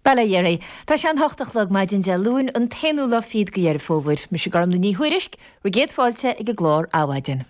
Bail ó Dhia oraibh. Tá sé an hocht a chlog maidin Dé Luain, an t-aonú lá fichead de Dheireadh Fómhair. Mise Gormlaith Ní Thuairisg, bhur gcéad fáilte ag an gclár Adhmhaidin.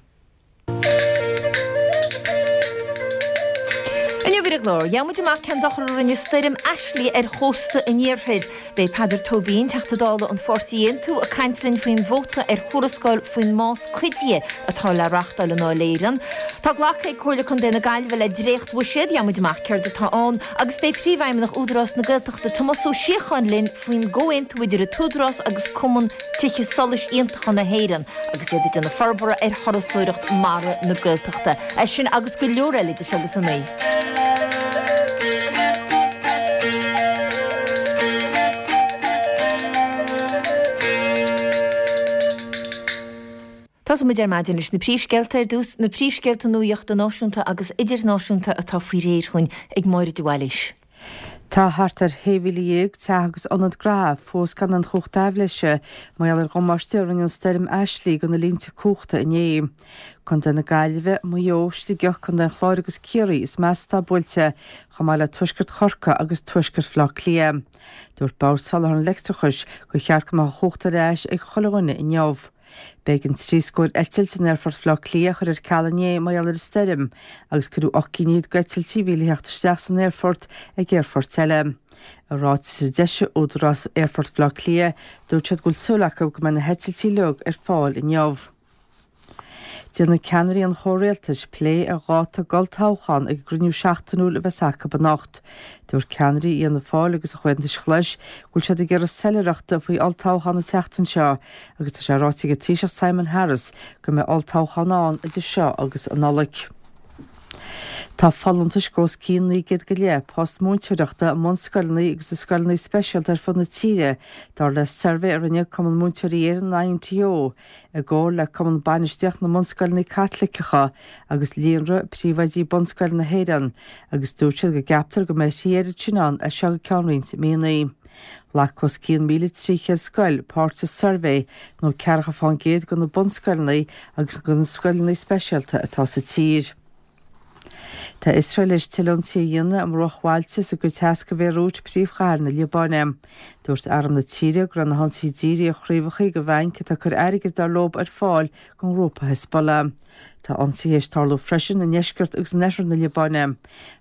Inniu ar an gclár, gheobhaidh muid amach cén dochar a rinne stoirm Ashley ar chósta an iarthair. Beidh Peadar Tóibín, Teachta Dála an pháirtí Aontú, ag caint linn faoin vóta ar thuarascáil faoin mbás cuidithe atá le reachtáil i nDáil Éireann. Tá glactha ag Comhairle Contae na Gaillimhe le dréacht-bhuiséad, gheobhaidh muid amach céard atá ann, agus beidh Príomhfheidhmeannach Údarás na Gaeltachta Tomás Ó Síocháin linn faoin gcomhaontú idir an tÚdarás agus Cumann Tithe Solais Iontacha na hÉireann agus iad ag déanamh forbartha ar thurasóireacht mara na Gaeltachta. É sin agus go leor eile idir seo agus a 9. Tosóidh muid ar maidin leis na príomhscéalta ar dtús, na príomhscéalta nuaíochta náisiúnta agus idirnáisiúnta atá faoi réir chugainn ag Máire de Bhailís. Tá thart ar 16,000 teach agus ionad gnaithe fós gan aon chumhacht aibhléise mar gheall ar dhamáiste a rinne an stoirm Ashley do na línte cumhachta inné. Contae na Gaillimhe, Maigh Eo, Sligeach, Contae an Chláir agus Ciarraí is measa atá buailte, chomh maith le tuaisceart Chorcaí agus tuaisceart Bhaile Átha Cliath. Dúirt Bord Soláthair an Leictreachais gur cheart go mbeadh an chumhacht ar ais ag chuile dhuine inniu. B'éigean trí scór eitilt in Aerfort Bhaile Átha Cliath a chur ar ceal inné mar gheall ar an stoirm agus cuireadh 8 gcinn fhichead d'eitiltí a bhí le theacht isteach san aerfort ag aerfoirt eile. I ráiteas a d'eisigh Údarás Aerfort Bhaile Átha Cliath, dúirt siad go bhfuil súil acu go mbeidh na heitiltí uilig ar fáil inniu. Déanfaidh ceannairí an chomhrialtais plé ar dháta d'olltoghchán ag an gcruinniú seachtainiúil a bheas acu anocht. Dúirt ceannairí Fhianna Fáil agus an Chomhaontais Ghlais go bhfuil siad ag iarraidh soiléireachta faoi olltoghchán an tseachtain seo agus tá sé ráite ag an Taoiseach Simon Harris go mbeidh olltoghchán ann idir seo agus an Nollaig. Tá folúntais os cionn 900 go leith post múinteoireachta i mbunscoileanna agus i scoileanna speisialta ar fud na tíre, dar le suirbhé a rinne Cumann Múinteoirí Éireann, INTO. i gcomhar le Cumann Bainistíochta na mBunscoileanna Caitliceacha agus Líonra Príomhoidí Bunscoileanna na hÉireann, agus dúirt siad go gceaptar go mbeidh a thrí oiread sin ann as seo go ceann roinnt míonna. Ghlac os cionn 1,300 scoil páirt sa suirbhé, nó ceathracha fán gcéad de na bunscoileanna agus de na scoileanna speisialta atá sa tír. Tá Iosrael théis tuilleadh ionsaithe a dhéanamh i mbruachbhailte sa gcuid theas de Bhéiriút, príomhchathair na Liobáine. Dúirt arm na tíre go raibh na hionsaithe dírithe ar chraobhacha de bhainc atá ag cur airgid dar leo ar fáil don ghrúpa Hezbollah. Tá ionsaithe théis tarlú freisin i ndeisceart agus in oirthear na Liobáine.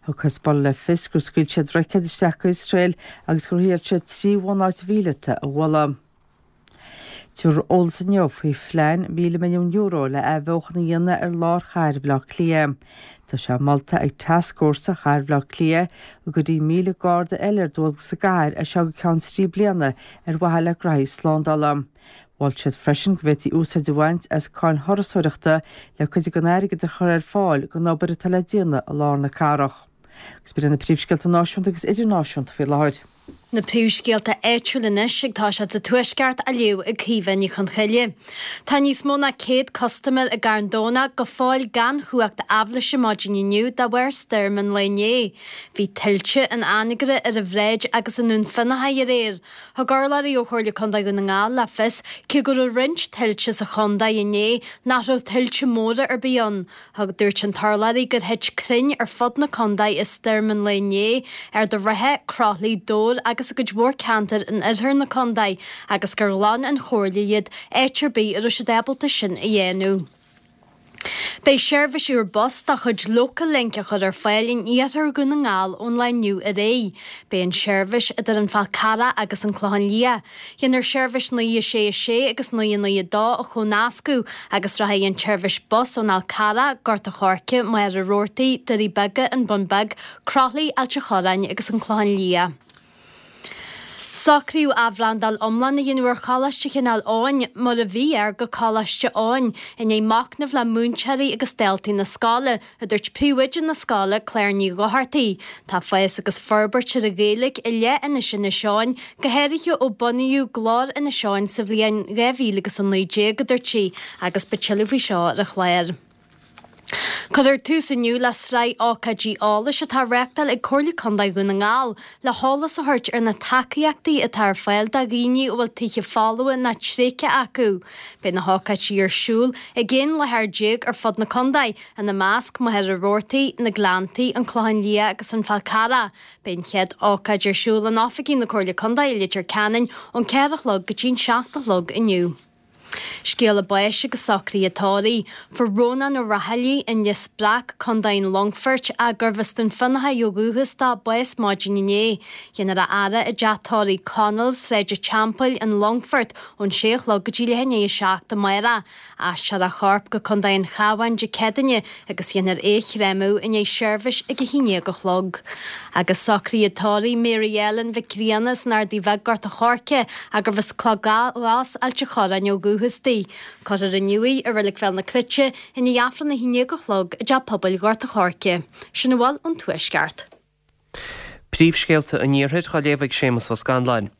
Thug Hezbollah le fios gur scaoil siad roicéad isteach go hIosrael agus gur thriail siad 3 bhunáit mhíleata a bhualadh. Tabharfar eolas inniu faoi phlean €1,000 milliún le athbheochan a dhéanamh ar lár chathair Bhaile Átha Cliath. Tá sé molta ag Tascfhórsa Chathair Bhaile Átha Cliath go gcuirfí 1,000 garda eile ar dualgas sa gcathair as seo go ceann trí bliana ar mhaithe le graithí slándála. Mhol siad freisin go bhféadfaí úsáid a bhaint as cáin thurasóireachta le cuid den airgead a chur ar fáil don obair atá le déanamh i lár na cathrach. Agus b'in iad na príomhscéalta náisiúnta agus idirnáisiúnta faoi láthair. Na príomhscéalta áitiúla anois ag toiseacht sa Tuaisceart á léamh ag Caoimhe Ní Chonchoille. Tá níos mó ná 100 custaiméir i gCarn Domhnach go fóill gan chumhacht aibhléise maidin inniu de bharr stoirm an lae inné. Bhí tuilte in Anagaire ar an Bhráid agus i nDún Fionnachaidh aréir. Thug urlabhraí ó Chomhairle Contae Dhún na nGall le fios cé go raibh roinnt tuilte sa chontae inné nach raibh tuilte móra ar bith ann. Thug Dúirt an t-urlabhraí gur thit crainn ar fud na contae i stoirm an lae inné, Ard an Rátha, Croithlí, Dobhar agus i gcuid mhór ceantar in oirthear na contae agus gur ghlan an Chomhairle iad áit ar bith a raibh siad ábalta sin a dhéanamh. Beidh seirbhís úr bus de chuid Local Link á chur ar fáil in iarthar Dhún na nGall ón lá inniu ar aghaidh. Beidh an tseirbhís idir an Fál Carrach agus an Clochán Liath. Dhéanfar seirbhís 9 6 6 agus 9 9 2 a chomhnascadh agus rachaidh an tseirbhís bus ón Fhál Carrach, Gort a' Choirce, Machaire Rabhartaigh, Doirí Beaga, An Bun Beag, Croithlí, Ailt a' Chorráin agus an Clochán Liath. Socraíodh athbhrandáil iomlán a dhéanamh ar Choláiste Chineál Eoghain, mar a bhí air, go Coláiste Eoin, i ndiaidh machnaimh le múinteoirí agus daltaí na scoile, a dúirt príomhoide na scoile, Claire Ní Dhochartaigh. Tá fás agus forbairt ar an Ghaeilge i leith Inis Inis Eoghain, go háirithe ó bunaíodh Glór Inis Eoghain sa bhliain 2019, a dúirt sí, agus beidh tuilleadh faoi seo ar an chlár. Cuirfear tús inniu le sraith ócáidí eolais atá á reáchtáil ag Comhairle Contae Dhún na nGall le heolas a thabhairt ar na tacaíochtaí atá ar fáil do dhaoine a bhfuil tithe folmha nó tréigthe acu. Beidh na hócáidí ar siúl ag 11 láthair ar fud na contae, ina measc, Machaire Rabhartaigh, Na Gleanntaí, An Clochán Liath agus An Fál Carrach. Beidh an chéad ócáid ar siúl in oifigí na Comhairle Contae i Leitir Ceanainn ón 4 a chlog go dtí an 7 a chlog inniu. Scéala báis agus socruithe tórraimh. Fuair Rónán Ó Raghallaigh, An Lios Breac, Co. an Longfoirt, gurbh as Dún Fionnachaidh ó dhúchas dó, bás maidin inné. Déanfar a fhaire i dteach tórraimh Connells, Sráid an Teampaill, An Longfort, ón sé a chlog go dtí leath i ndiaidh a 7 amárach. Aistreofar a chorp go Contae an Chabháin Dé Céadaoine agus dhéanfar é a chréamadh i ndiaidh seirbhís ag a haon dhéag a chlog. Agus socruithe tórraimh Mary Ellen Mhic Grianna as an Ardaidh Bheag, Gort a' Choirce, gurbh as Cloch Ghlas, Ailt a' Chorráin ó dhúchas di. Cuirfear inniu í i Reilig Bhéal na Cruite i ndiaidh Aifreann a haon dhéag a chlog i dTeach Pobail Ghort a' Choirce. Sin a bhfuil ón Tuaisceart. Príomhscéalta an Iarthair á léamh ag Séamus Ó Scanláin.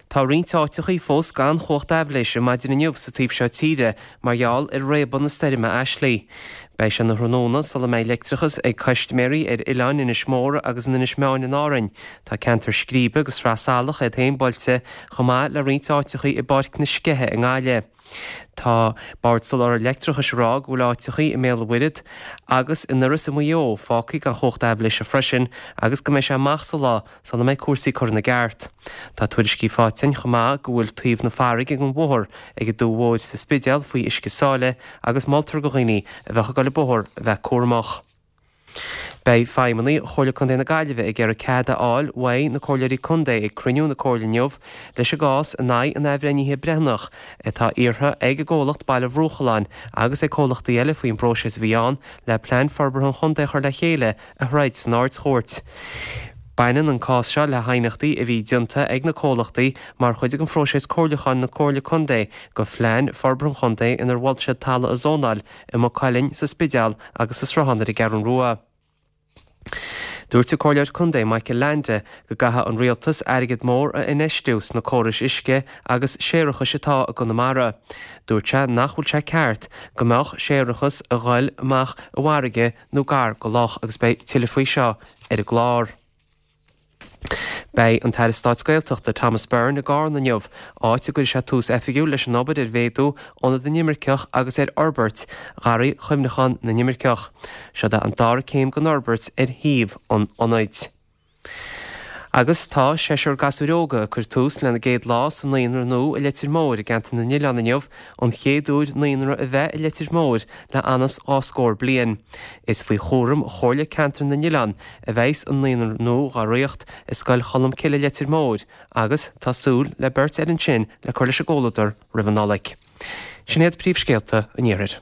Tá roinnt áiteachaí fós gan chumhacht aibhléise maidin inniu sa taobh seo tíre mar gheall ar réabadh na stoirme Ashley. Beidh sé ina thráthnóna sula mbeidh leictreachas ag custaiméirí ar oileáin Inis Mór agus in Inis Meáin in Árainn. Tá ceantar Scríbe agus Sraith Salach iad féin buailte chomh maith le roinnt áiteachaí i bPáirc na Sceiche i nGaillimh. Tá Bord Soláthair Leictreachais ag rá go bhfuil áiteachaí i mBéal an Mhuirthead agus i nDoireas i Maigh Eo fágtha gan chumhacht aibhléise freisin agus go mbeidh sé amach sa lá sula mbeidh cúrsaí curtha ina gceart. Tá tuairiscí faighte againn chomh maith go bhfuil taobh na farraige den bhóthar ag an Dumha Mhóir sa Spidéal faoi uisce sáile agus moltar do dhaoine a bheadh ag dul an bóthar a bheith cúramach. Beidh feidhmeannaigh Chomhairle Contae na Gaillimhe ag iarraidh cead a fháil uaidh na Comhairleoirí Contae ag cruinniú na Comhairle inniu leis an gcás in aghaidh an athbhreithnithe breithiúnach atá iarrtha ag an gcomhlacht Baile Bhruachalláin agus ag comhlachtaí eile faoin bpróiseas a bhí ann le Plean Forbartha an Chontae a chur le chéile a throid san Ard-Chúirt. Baineann an cás seo le haighneachtaí a bhí déanta ag na comhlachtaí mar chuid den phróiseas comhairliúcháin na Comhairle Contae do Phlean Forbartha an Chontae inar mhol siad talamh a zónáil i Maigh Cuilinn, sa Spidéal agus sa Sruthán ar an gCeathrú Rua. Dúirt an Comhairleoir Contae Michael Leainde go gcaithfidh an Rialtas airgead mór a infheistiú sna córais uisce agus séarachais atá i gConamara. Dúirt sé nach bhfuil sé ceart go mbeadh séarachas a ghoil amach i bhfarraige nó gar go loch agus beidh tuilleadh faoi seo ar an gclár. Beidh an tAire Stáit Gaeltachta Thomas Byrne i gCarna inniu, áit a gcuirfidh sé tús oifigiúil leis an obair ar mhéadú Ionad na nImirceach agus ar fhorbairt Gharraí Chuimhneacháin na nImirceach. Seod é an dara céim den fhorbairt ar shuíomh an ionaid. Agus tá seisear gasúir óga ag cur tús lena gcéad lá sa naíonra nua i Leitir Móir i gCeantar na nOileán inniu, an chéad uair naíonra a bheith i Leitir Móir le anuas dhá scór bliain. Is faoi chúram Chomhairle Ceantar na nOileán a bheas an naíonra nua dhá ríocht i Scoil Cholmcille Leitir Móir agus tá súil le beirt eile ansin le cur leis an gcomhluadar roimh an Nollaig. Sin iad príomhscéalta an Iarthair.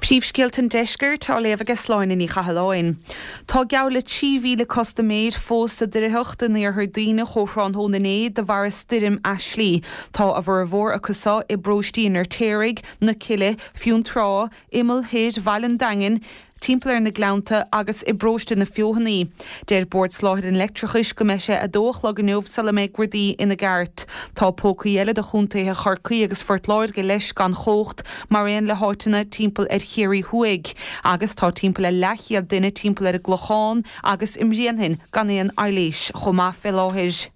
Príomhscéalta an Deiscirt á léamh aige Sláine Ní Chathalláin. Tá geall le 3,000 custaiméir fós sa doimhtheacht in iarthar Duibhneach ó thráthnóna inné de bharr stoirm Ashley. Tá a bhformhór acu seo i bparóistí an Fheirtéaraigh, na Cille, Fionntrá, imeall thoir Bhaile an Daingin, timpeall ar na Gleannta agus i bparóiste na Feothanaí. Deir Bord Soláthair an Leictreachais go mbeidh sé 2 a chlog inniu sula mbeidh rudaí ina gceart. Tá pócaí eile de chontaetha Chorcaí agus Phort Láirge leis gan chumhacht, mar aon le háiteanna timpeall ar Chiarraí Thuaidh. Agus tá timpeall ar leathchéad duine timpeall ar an gClochán agus i mBréanainn gan aon aibhléis chomh maith fé láthair.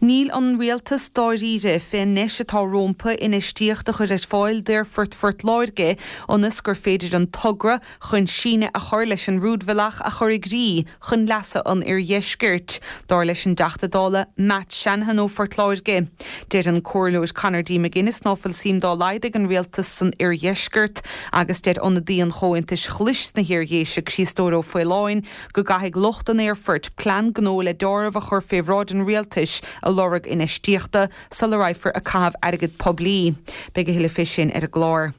Níl an Rialtas dáiríre fén ndeis atá rómpa infheistíocht a chur ar fáil d'Aerfort Phort Láirge ionas gur féidir an togra chun síneadh a chur leis an rúidbhealach a chur i gcrích chun leasa an Oirdheiscirt, dar leis an dTeachta Dála Matt Shanahan ó Phort Láirge. Deir an Comhairleoir Conor D. McGuinness ná fuil suim dá laghad ag an Rialtas san Oirdheisceart agus deir ionadaí an Chomhaontais Ghlais sna hIardhéise Críostóir Ó Faoláin go gcaithfidh lucht an aerfoirt plean gnó le deáramh a chur fé bhráid an rialtais ag lorg infheistíochta sula raghfar ag caitheamh airgead poiblí. Beidh a thuilleadh fé sin ar an gclár.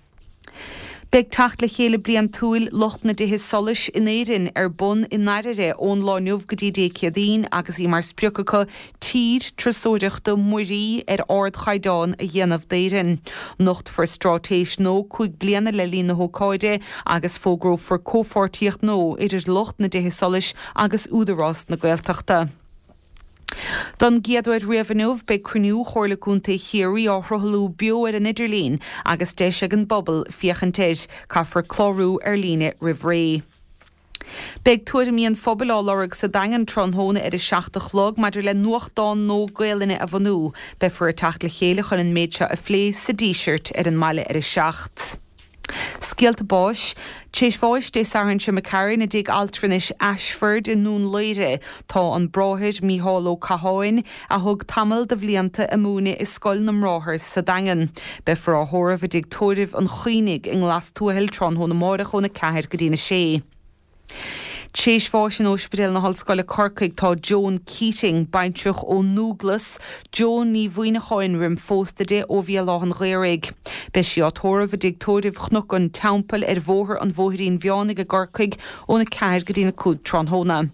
Beidh teacht le chéile bliantúil lucht na dtithe solais in Éirinn ar bun i nDairire ón lá inniu go dtí Dé Céadaoin agus í mar sprioc acu tír turasóireachta muirí ar ardchaighdeán a dhéanamh d'Éirinn. Nochtfar straitéis nua 5 bliana le linn na hócáide agus fógrófar comhpháirtíocht nua idir lucht na dtithe solais agus Údarás na Gaeltachta. Don gcéad uair riamh inniu, beidh cruinniú Chomhairle Contae Chiarraí á shruthlú beo ar an idirlíon agus deis ag an bpobal féachaint air. Caithfear clárú ar líne roimh ré. Beidh tuairimí an phobail á lorg sa Daingean tráthnóna ar a 7 a chlog maidir le nuachtán nua Gaelainne a bhunú. Beifear ag teacht le chéile chun an méid seo a phlé sa Díseart ar an mbaile ar a 7. Scéalta báis. Tar éis bháis Dé Sathairn seo imigh tharainn i dtigh altranais Ashford i nDún Laoghaire tá an Bráthair Mícheál Ó Catháin, a thug tamall de bhlianta ag múineadh i Scoil na mBráthar sa Daingean. Beifear á thórramh i dtigh tórraimh an Choinnigh i nGlas Tuathail tráthnóna amáireach óna 4 go dtína 6. Tar éis bháis in Ospidéal na hOllscoile Corcaigh tá Joan Keating, baintreach ón nDúglas, Joan Ní Mhuineacháin roim phósta di ó Bhéal Átha'n Ghaorthaidh. Beidh sí á tórramh i dtigh tórraimh Chnoc an Teampaill ar Bhóthar an Bhóithrín Mheánaigh i gCorcaigh óna 4 go dtína 5 tráthnóna.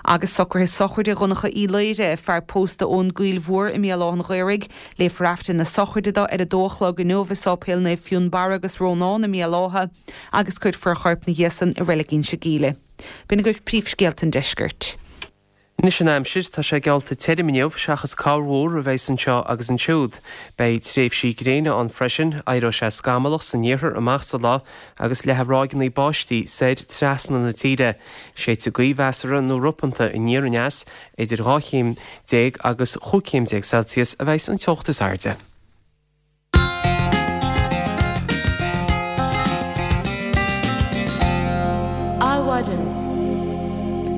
Agus socruithe sochraide Dhonncha Uí Laoire, fear pósta ón gCoill Mhór i mBéal Átha'n Ghaorthaidh, léifear Aifreann na sochraide dó ar a dó a chlog inniu i Sáipéal Naomh Fionnbarra agus Rónán i mBéal Átha agus cuirfear a chorp 'na dhiaidh san i Reilig Inse Gíle. B'in agaibh príomhscéalta an deiscirt. Anois an aimsir, tá sé geallta tirim inniu, seachas corrmhúr a bheas anseo agus ansiúd. Beidh tréimhsí gréine ann freisin, éireoidh sé scamallach san iarthar amach sa lá agus leathfaidh ráigeanna báistí soir trasna na tíre. Séidfidh gaoth mheasartha nó ropanta aniar aneas, idir 12 chéim agus 15 chéim Celsius a bheas an teocht is airde. Adhmhaidin.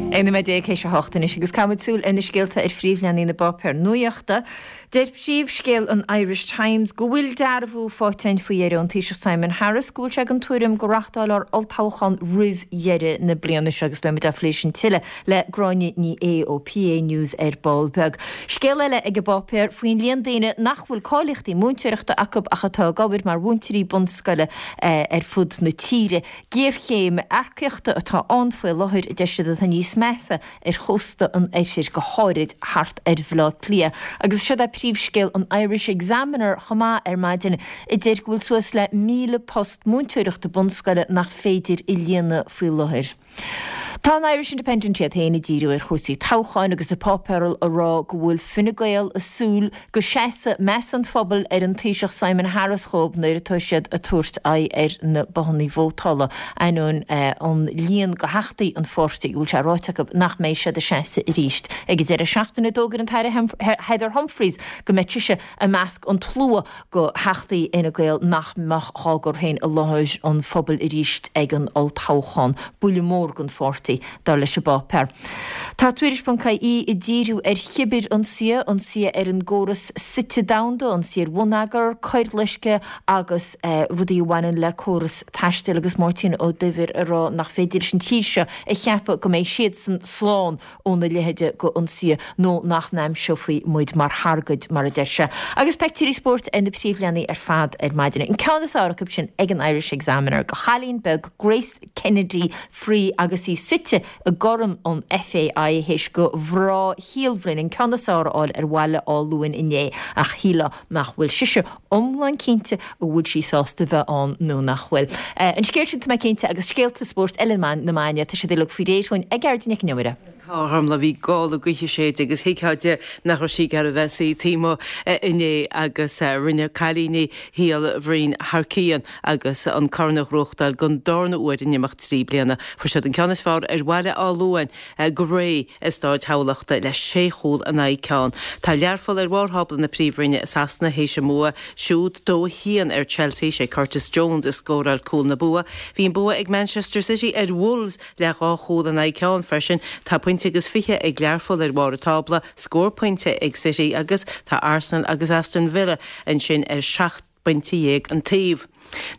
11 nóiméad théis a hocht anois agus caithfimid súil ar na scéalta ar phríomhleathanaigh na bpáipéar nuachta. Deir príomhscéal an Irish Times go bhfuil dearbhú faighte againn faoi dheireadh ón Taoiseach Simon Harris go bhfuil sé den tuairim go reáchtálfar olltoghchán roimh dheireadh na bliana seo agus beidh muid á phlé sin tuilleadh le Gráinne Ní Aodha ó PA News ar ball beag. Scéal eile ag an bpáipéar faoin líon daoine nach bhfuil cáilíochtaí múinteoireachta acu ach atá ag obair mar mhúinteoirí bunscoile ar fud na tíre. Géarchéim earcaíochta atá ann faoi láthair, a deir siad, atá níos measa ar chósta an oirthir, go háirid thart ar Bhaile Átha Cliath. Agus siod é príomhscéal an Irish Examiner chomh maith ar maidin, a deir go bhfuil suas le 1,000 post múinteoireachta bunscoile nach féidir a líonadh faoi láthair. Tá an Irish Independent iad féin ag díriú ar chúrsaí toghcháin agus an páipéar ag rá go bhfuil Fine Gael ag súil go seasfaidh meas an phobail ar an Taoiseach Simon Harris dhóibh nuair atá siad ag tabhairt aghaidh ar na bothanna vótála, ainneoin an líon de theachtaí an pháirtí go bhfuil sé ráite acu nach mbeidh siad ag seasamh arís. Ag an deireadh seachtaine d'fhógair an tAire Heather Humphreys go mbeadh sise i measc an tslua de theachtaí Fhine Gael nach mbeadh dhá gcur féin i láthair an phobail arís ag an olltoghchán. Buille mór don pháirtí, dar leis an bpáipéar. Tá Tuairisc.ie ag díriú ar chibirionsaithe, ionsaithe ar an gcóras suite domhanda, ionsaithe ar bhonneagar, coirloiscthe agus rudaí a bhaineann le córas taistil agus Máirtín Ó Duibhir ag rá nach féidir leis an tír seo a cheapadh go mbeidh siadsan slán óna leithéide d'ionsaithe nó nach n-aimseofaí muid mar thargaid, mar a deir sé. Agus peictiúirí spóirt ar na príomhleathanaigh ar fad ar maidin. An ceann is fearr acu sin ag an Irish Examiner de chailín beag Grace Kennedy Free agus í suite i gCorn an FAI théis do mhná Shíol Bhroin an ceann is fearr a fháil ar Bhaile Átha Luain inné ach shílfeá nach bhfuil sise iomlán cinnte an bhfuil sí sásta bheith ann nó nach bhfuil. An scéal sin, tá mé cinnte, agus scéalta spóirt eile na maidine, tá siad uilig faoi réir dhúinn ag Gearóidín Nic Con Iomaire. Tá, a Ghormfhlaith, bhí gála gaoithe ag séideadh agus thuigfeá di nach raibh sí ag iarraidh bheith suí taobh amuigh inné agus rinne cailíní Shíol Bhroin thar cionn agus an corn a ghnóthachtáil don darna huair in imeacht 3 bliana. Fuair siad an ceann is fearr ar Bhaile Átha Luain go réidh i Stáid Thamhlachta le sé chúl in aghaidh ceann. Tá Learpholl ar bharr thábla na Príomhroinne i Sasana théis a mbua siúd, 2-1 ar Chelsea. Sé Curtis Jones a scóráil cúl na bua. Bhí an bua ag Manchester City ar Wolves le dhá chúl in aghaidh ceann freisin. Tá pointe agus fiche ag Learpholl ar bharr an tábla, scór pointe ag City agus tá Arsenal agus Aston Villa ansin ar 17 bpointe an taobh.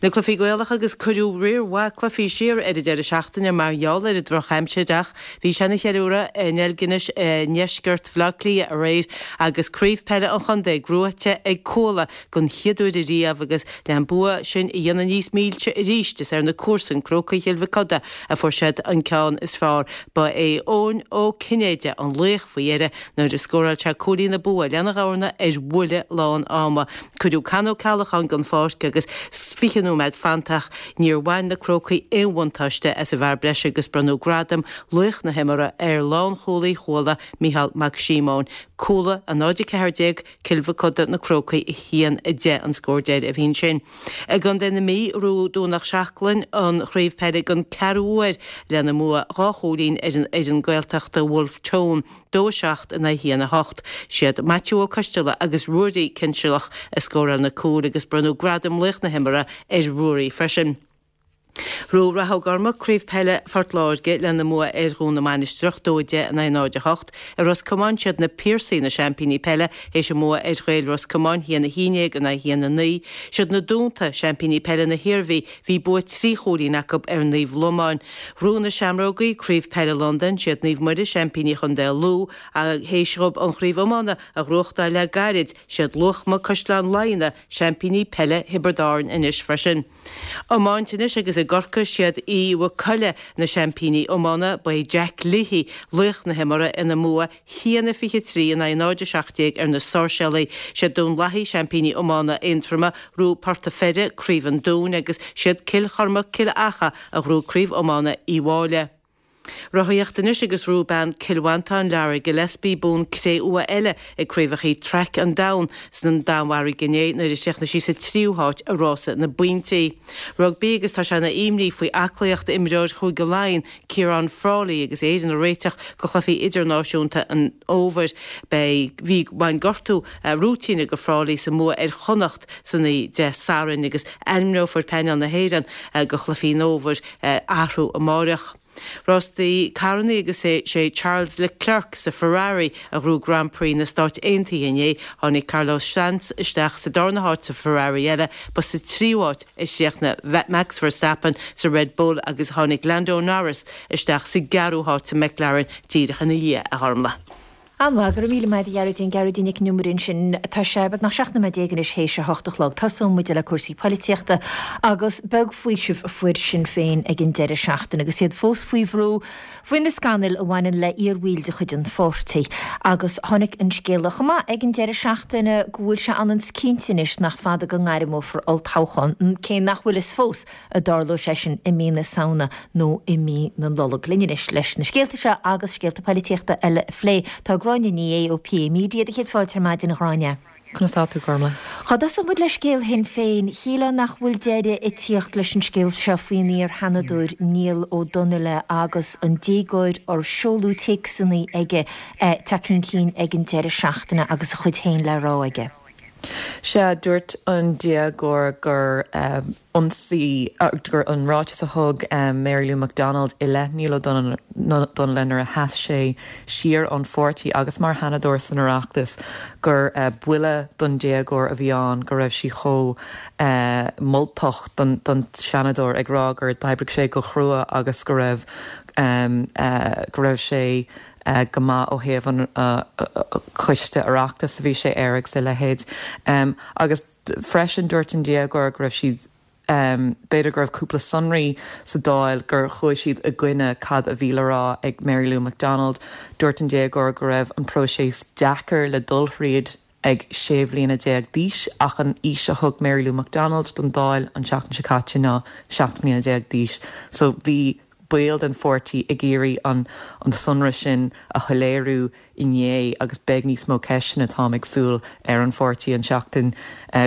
Na cluichí Gaelacha agus cuireadh riar mhaith cluichí siar ar an deireadh seachtaine mar gheall ar an drochaimsir ach bhí sé ina cheiliúradh i nDeilginis i ndeisceart Bhaile Átha Cliath aréir agus craobh peile an chontae gnóthaithe ag Cuala den chéad uair ariamh agus le an bua sin a dhéanamh níos milse arís is ar na comharsain, Crócaigh Chill Mhic Coda, a fuair siad an ceann is fearr. Ba é Eoin Ó Cinnéide an laoch faoi dheireadh nuair a scóráil sé cúilín an bua lena dhorna ar bhuille lán ama. Cuireadh Con Ó Ceallacháin den pháirc agus. 20 nóiméad fanta ach níor bhain na Crócaigh aon bhuntáiste as an bhfear breise agus bronnadh gradam laoch na himeartha ar lánchúlaí Chuala, Micheál Mac Síomóin. Cuala 0-14, Cill Mochuda Na Crócaigh 1, 10 an scór deiridh a bhí ansin. I gContae na Mí, ghnóthaigh Domhnach Seachlainn an chraobh peile den ceathrú huair lena mbua 2 chúilín ar an fhoireann Gaeltachta Wolfe Tone, 2, 7 in aghaidh 1, 8. Siad Maitiú Ó Coisteala agus Ruairí Cinsealach a scóráil na cúil agus bronnadh gradam laoch na himeartha ar Ruairí freisin. Ghnóthaigh Rath Ó gCormaic Craobh Peile Phort Láirge lena mbua ar Dhún na Mainistreach, 2, 10 in aghaidh 0, 8. I Ros Comáin, siad na Piarsaigh na seaimpíní peile théis a mbua ar Ghaeil Ros Comáin, 1, 11 in aghaidh 1, 9. Siad na Dúnta seaimpíní peile na hIarmhí, bhí bua 3 chúilín acu ar Naomh Lomán. Ghnóthaigh na Seamrógaí Craobh Peile Londain, siad Naomh Muire seaimpíní Chontae Lú, théis dhóibh an chraobh iomána a ghnóthachtáil le gairid, siad Luachma Caisleán Laighean seaimpíní peile Thiobraid Árann anois freisin. Iomáint anois agus i gCorcaigh siad Uí Mhaigh Coille na seaimpíní iomána, ba é Jack Leahy laoch na himeartha ina mbua 1-23 in aghaidh 0-17 ar na Sáirséalaigh. Siad Dún Lathaí seaimpíní iomána Aontroma, ghnóthaigh Port a' Pheire Craobh an Dúin agus siad Cill Chormaic Cill Acha a ghnóthaigh Craobh Iomána Uí Mháille. Rothaíocht anois agus ghnóthaigh bean Cill Mhantáin, Lara Gillespie, bonn cré-umha eile ag Craobhacha Traic an Domhain san Danmhairg inné nuair a chríochnaigh sí sa tríú háit i rása na bpointí. Rugbaí agus tá sé ina imní faoi aclaíocht imreoir Chúige Laighean, Ciarán Frawley agus Éirinn ag réiteach do chluichí idirnáisiúnta an fhómhair. Beidh, bhí, bhain gortú rúitíneach do Frawley sa mbua ar Chonnacht san oíche Dé Sathairn agus ainmneofar painéal na hÉireann do chluichí an fhómhair. athrú amáireach. Rástaí carrannaí agus is é Charles Leclerc sa Ferrari a ghnóthaigh Grand Prix na Stáit Aontaithe inné. Tháinig Carlos Sainz isteach sa darna háit sa Ferrari eile. Ba sa tríú háit a chríochnaigh Max Verstappen sa Red Bull agus tháinig Lando Norris isteach sa gceathrú háit sa McLaren díreach ina dhiaidh, a Ghormlaith. An-mhaith, go raibh míle maith agat a Ghearóidín, Gearóidín Nic an Iomaire ansin. Tá sé beagnach 17 nóiméad anois théis a hocht a chlog. Tosóidh muid le cúrsaí poilitíochta agus beag faoiseamh a fuair Sinn Féin ag an deireadh seachtaine agus iad fós faoi bhrú faoi na scannail a bhaineann le iarbhaill de chuid an pháirtí. Agus tháinig an scéala chomh maith ag an deireadh seachtaine go bhfuil sé ionann is cinnte anois nach fada go ngairmeofar olltoghchán, cé nach bhfuil fhios fós an dtarlóidh sé sin i mí na Samhna nó i mí na Nollag. Linn anois leis na scéalta seo agus scéalta poilitíochta eile a phlé, tá Gráinne Ní Aodha ó PA Media. Do chéad fáilte ar maidin, a Ghráinne. Conas tá tú, Gormlaith? Dá dtosódh muid le scéal Shinn Féin, shílfeá nach bhfuil deireadh ag tíocht leis an scéal seo faoin iar-Sheanadóir Niall Ó Donnaile agus an déagóir ar seoladh téacsanna aige tagtha chun cinn ag an deireadh seachtaine agus a chuid féin le rá aige. Sea, dúirt an déagóir gur ionsaí, gur an ráiteas a thug Mary Lou McDonald i leith Niall Ó Donnaile nuair a sheas sé siar ón pháirtí agus mar Sheanadóir san Oireachtas, gur buille don déagóir a bhí ann, go raibh sí chomh moltach don Seanadóir, ag rá gur d'oibrigh sé go chrua agus go raibh go raibh sé go maith ó thaobh an choiste Oireachtais a bhí sé air agus a leithéid. Agus freisin dúirt an déagóir go raibh siad, b'fhéidir go raibh cúpla sonraí sa Dáil gur chuaigh siad i gcoinne cad a bhí le rá ag Mary Lou McDonald. Dúirt an déagóir go raibh an próiseas deacair le dul thríd ag 16 bhliana d'aois ach an aois a thug Mary Lou McDonald don Dáil an tseachtain seo caite ná 17 mbliana d'aois. So bhí baill den pháirtí ag iarraidh an an sonra sin a shoiléiriú inné agus beidh níos mó ceisteanna, táim ag súil, ar an pháirtí an tseachtain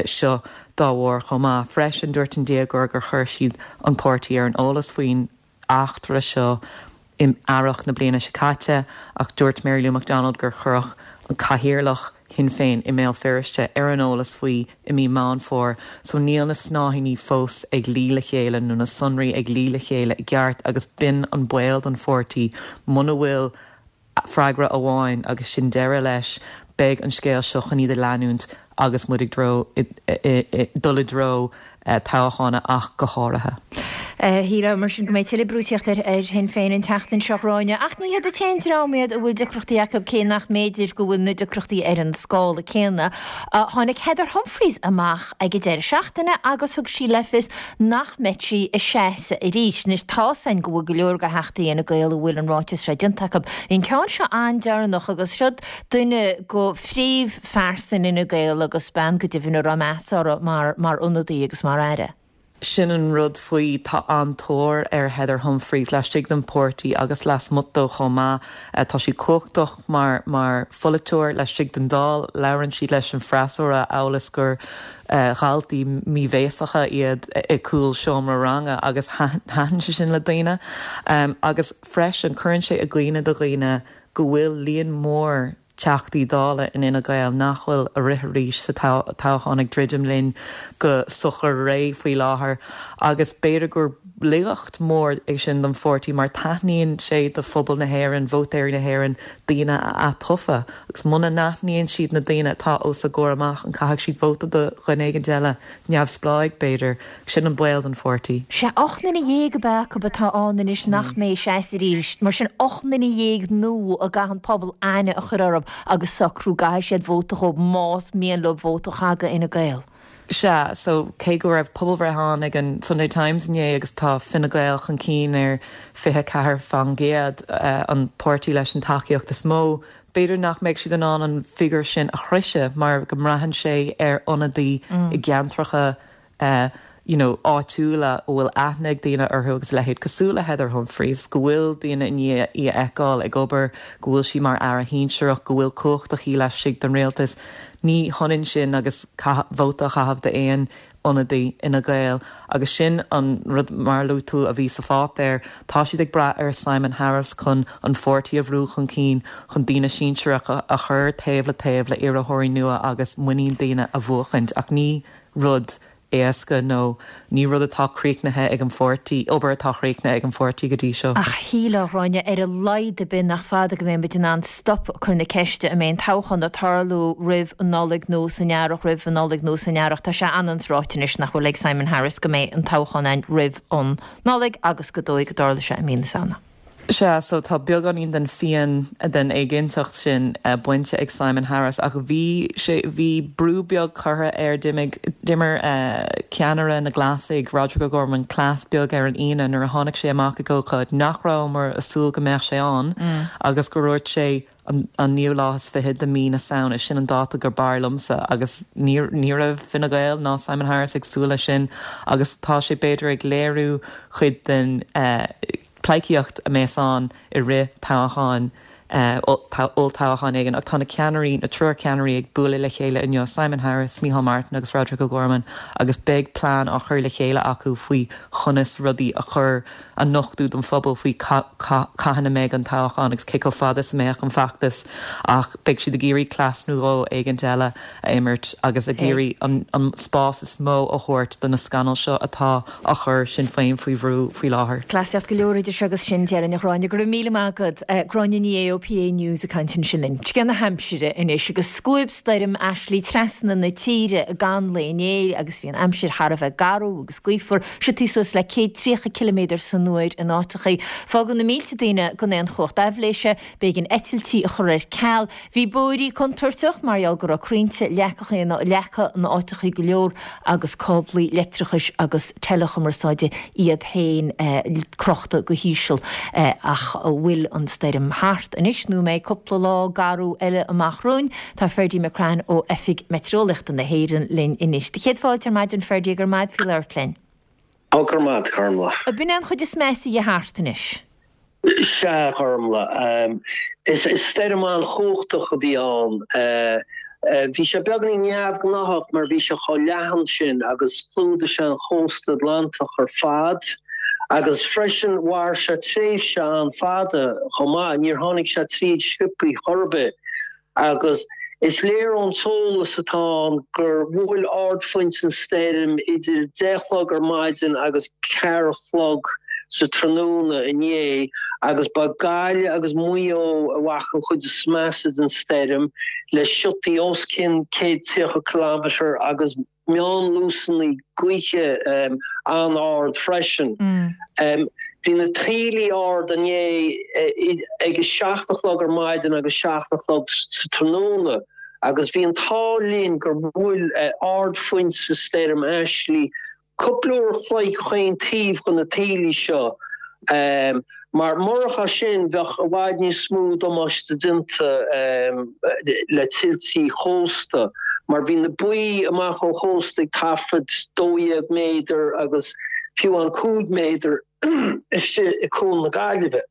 seo dá bharr chomh maith. Freisin, dúirt an déagóir gur chuir siad an páirtí ar an eolas faoin eachtra seo in earrach na bliana seo caite ach dúirt Mary Lou McDonald gur cuireadh an cathaoirleach Shinn Féin i mBéal Feirste ar an eolas faoi i mí Meán Fómhair so níl na snáithíní fós ag luí le chéile nó na sonraí ag luí le chéile i gceart agus b'in an baol don pháirtí muna bhfuil freagra amháin agus sin deireadh leis, beidh an scéal seo chun iad a leanúint agus muid ag dul i dtreo toghcháin ach go háirithe. Shílfeá mar sin go mbeidh tuilleadh brú ag tíocht ar Shinn Féin an tseachtain seo, a Ghráinne. Ach ní hiad an t-aon dream iad a bhfuil deacrachtaí acu, cé nach mb'fhéidir go bhfuil na deacrachtaí ar an scála céanna. Tháinig Heather Humphreys amach ag an deireadh seachtaine agus thug sí le fios nach mbeidh sí ag seasamh arís. Anois tá's againn go bhfuil go leor de Theachtaí Fhine Gael a bhfuil an ráiteas seo déanta acu. Bhí an ceann seo an-deireanach agus siod duine de phríomhphearsain Fhine Gael agus bean go deimhin a raibh meas orthu mar mar ionadaí agus mar aire. Sin an rud faoi, tá an-tóir ar Heather Humphreys laistigh den pháirtí agus lasmuigh dó chomh maith. Tá sí cumhachtach mar mar pholaiteoir laistigh den Dáil. Labhrann sí leis an freasúra amhail is gur dhaltaí míbhéasacha iad i gcúl seomra ranga agus thaitin sé sin le daoine. Agus freisin cuireann sé i gcuimhne do dhaoine go bhfuil líon mór Teachtaí Dála in Fhine Gael nach bhfuil ag rith arís sa toghchán ag druidim linn go socair réidh faoi láthair agus b'fhéidir gur laigeacht mhór é sin don pháirtí mar taitníonn sé do phobal na hÉireann, vótóirí na hÉireann, daoine a atofa agus muna n-aithníonn siad na daoine atá os a gcomhair amach an caithfidh siad vóta do dhuine éigin eile, neamhspleáigh b'fhéidir? Sin an baol don pháirtí. Sea, 18 nduine ab ea acu atá ann anois nach mbeidh ag seasamh arís. Mar sin, 18 nduine nua a gcaithfidh an pobal aithne a chur orthu agus socrú go gcaithfidh siad vóta dhóibh más mian leo vóta a chaitheamh do Fhine Gael. Sea, so cé go raibh pobalbhreith ann ag an Sunday Times inné agus tá Fine Gael chun cinn ar 24%, an páirtí leis an tacaíocht is mó, B'fhéidir nach mbeidh siad in ann an figiúr sin a shroicheadh mar go mbraitheann sé ar ionadaí i gceantracha you know áitiúla a bhfuil aithne ag daoine orthu agus a leithéid, cosúil le Heather Humphreys, go bhfuil daoine i ndiaidh í a fheiceáil ag obair, go bhfuil sí mar aire shinsearach, go bhfuil cumhacht aici laistigh den rialtas. Ní hionann sin agus vóta a chaitheamh d'aon ionadaí Fhine Gael agus sin an rud, mar a luaigh tú, a bhí sa pháipéar. Tá siad ag brath ar Simon Harris chun an pháirtí a bhrú chun cinn, chun daoine sinsearacha a chur taobh le taobh le iarrthóirí nua agus muinín daoine a bhuachaint. Ach ní rud éasca nó ní rud atá críochnaithe ag an pháirtí, obair atá críochnaithe ag an pháirtí go dtí seo. Ach shílfeá, a Ghráinne, ar a laghad ar bith nach fada go mbeidh muid in ann stop ag cur na ceiste an mbeidh an toghchán ag tarlú roimh an Nollaig nó san earrach, roimh an Nollaig nó san earrach. Tá sé an-ráite anois nach bhfuil ag Simon Harris go mbeidh an toghchán ann roimh an Nollaig agus gur dóigh go dtarlóidh sé i mí na Samhna. Sea, so tá beagáinín den phian, den éiginnteacht sin bainte ag Simon Harris ach bhí sé, bhí brú beag curtha air, d'imigh, d'imir ceannaire na Glasaigh, Roderic O'Gorman, cleas beag air an Aoine nuair a tháinig sé amach ag ócáid nach rabhamar ag súil go mbeadh sé ann agus gur dhúirt sé an naoú lá is fiche de mí na Samhna, sin an dáta gur b'fhearr liomsa agus ní, ní raibh Fine Gael ná Simon Harris ag súil leis sin agus tá sé b'fhéidir ag léiriú cuid den pleidhcíocht a mbeas ann i rith toghcháin, olltoghcháin éigin ach tá na ceannairí, na triúr ceannairí ag bualadh le chéile inniu, Simon Harris, Micheál Martin agus Roderic O'Gorman agus beidh plean á chur le chéile acu faoi chonas rudaí a chur, a nochtadh don phobal faoi cathain a mbeidh an toghchán agus cé chomh fada is a mbeadh an feachtas ach beidh siad ag iarraidh cleas nó dhó éigint eile a imirt agus ag iarraidh an spás is mó a thabhairt do na scannail seo atá á chur Sinn Féin faoi bhrú faoi láthair. Cleasaíocht go leor idir seo agus sin, déarfainn, a Ghráinne. Go raibh míle maith agat. Gráinne Ní Aodha ó PA News ag caint ansin linn. Scéal na haimsire anois agus scuab stoirm Ashley trasna na tíre i gceann lae inné agus bhí an aimsir thar a bheith garbh agus gaofar, siotaí suas le 130 ciliméadar san uair in áiteachaí. Fágadh na mílte daoine gan aon chumhacht aibhléise, b'éigean eitiltí a chur ar ceal. Bhí bóithrí contúirteach mar gheall go raibh crainnte leagtha in áiteachaí go leor agus cáblaí leictreachais agus teileachumarsáide iad féin crochta go híseal. Ach an bhfuil an stoirm thart anois nó an mbeidh cúpla lá garbh eile amach romhainn? Tá Ferdie McCrann ó Oifig Meitéareolaíochta na hÉireann linn anois. Do chéad fáilte ar maidin Ferdie, go raibh maith agat faoi labhairt linn. Ó, go raibh maith agat, Gormlaith. Ab in é an chuid is measa dhe thart anois? Sea, a Ghormlaith. Is stoirm an-chumhachtach a bhí ann. Bhí sé beagáinín neamhghnáthach mar bhí sé chomh leathan sin agus chlúdaigh sé an chósta Atlantach ar fad. Agus freisin mhair sé tréimhse an-fhada chomh maith, níor tháinig sé tríd sciobthaí chor ar bith. Agus is léir ón t-eolas atá ann gur bhuail ardphointe an stoirm idir deich a chlog ar maidin agus ceathair a chlog sa tráthnóna inné agus ba Gaillimh agus Maigh Eo a bhfaca an chuid is measa den stoirm le siotaí os cionn 130 kilometre agus meánluasanna gaoithe an-ard freisin. Bhí na taoillí ard inné ag a 7 a chlog ar maidin agus 7 a chlog sa tráthnóna agus bhí an t-ádh linn gur bhuail ardphointe stoirm Ashley cúpla uair a chloig chaon taobh de na taoillí seo. Mar murach é sin bheadh i bhfad níos mó damáiste déanta le tuiltí chósta. mar bhí na baoi amach ó chósta ag taifead 12 méadar agus fiú amháin 5 méadar istigh i Cuan na Gaillimhe.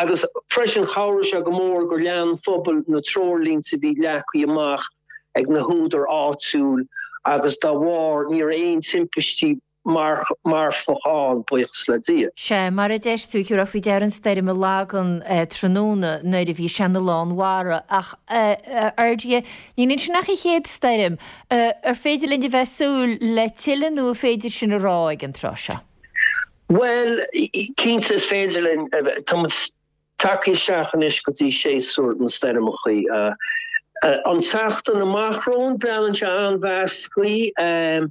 Agus freisin chabhraigh sé go mór gur lean phobal na treoirlínte a bhí leagtha amach ag na húdair áitiúil agus dá bharr ní raibh aon timpistí marfach ann, buíochas le Dia. Sea, mar a deir tú, thiúrfá faoi deara an stoirm i Lagan tráthnóna nuair a bhí sé ina lán mhara. Ach, a Fheirdie, níl ansin ach an chéad stoirm. Ar féidir linn a bheith ag súil le tuilleadh nó an féidir sin a rá ag an tráth seo? Bhuel, cinnte is féidir linn. Tá muid tagtha isteach anois go dtí séasúr na stoirmeachaí. An tseachtain amach romhainn, breathnaíonn sé an-mheasctha.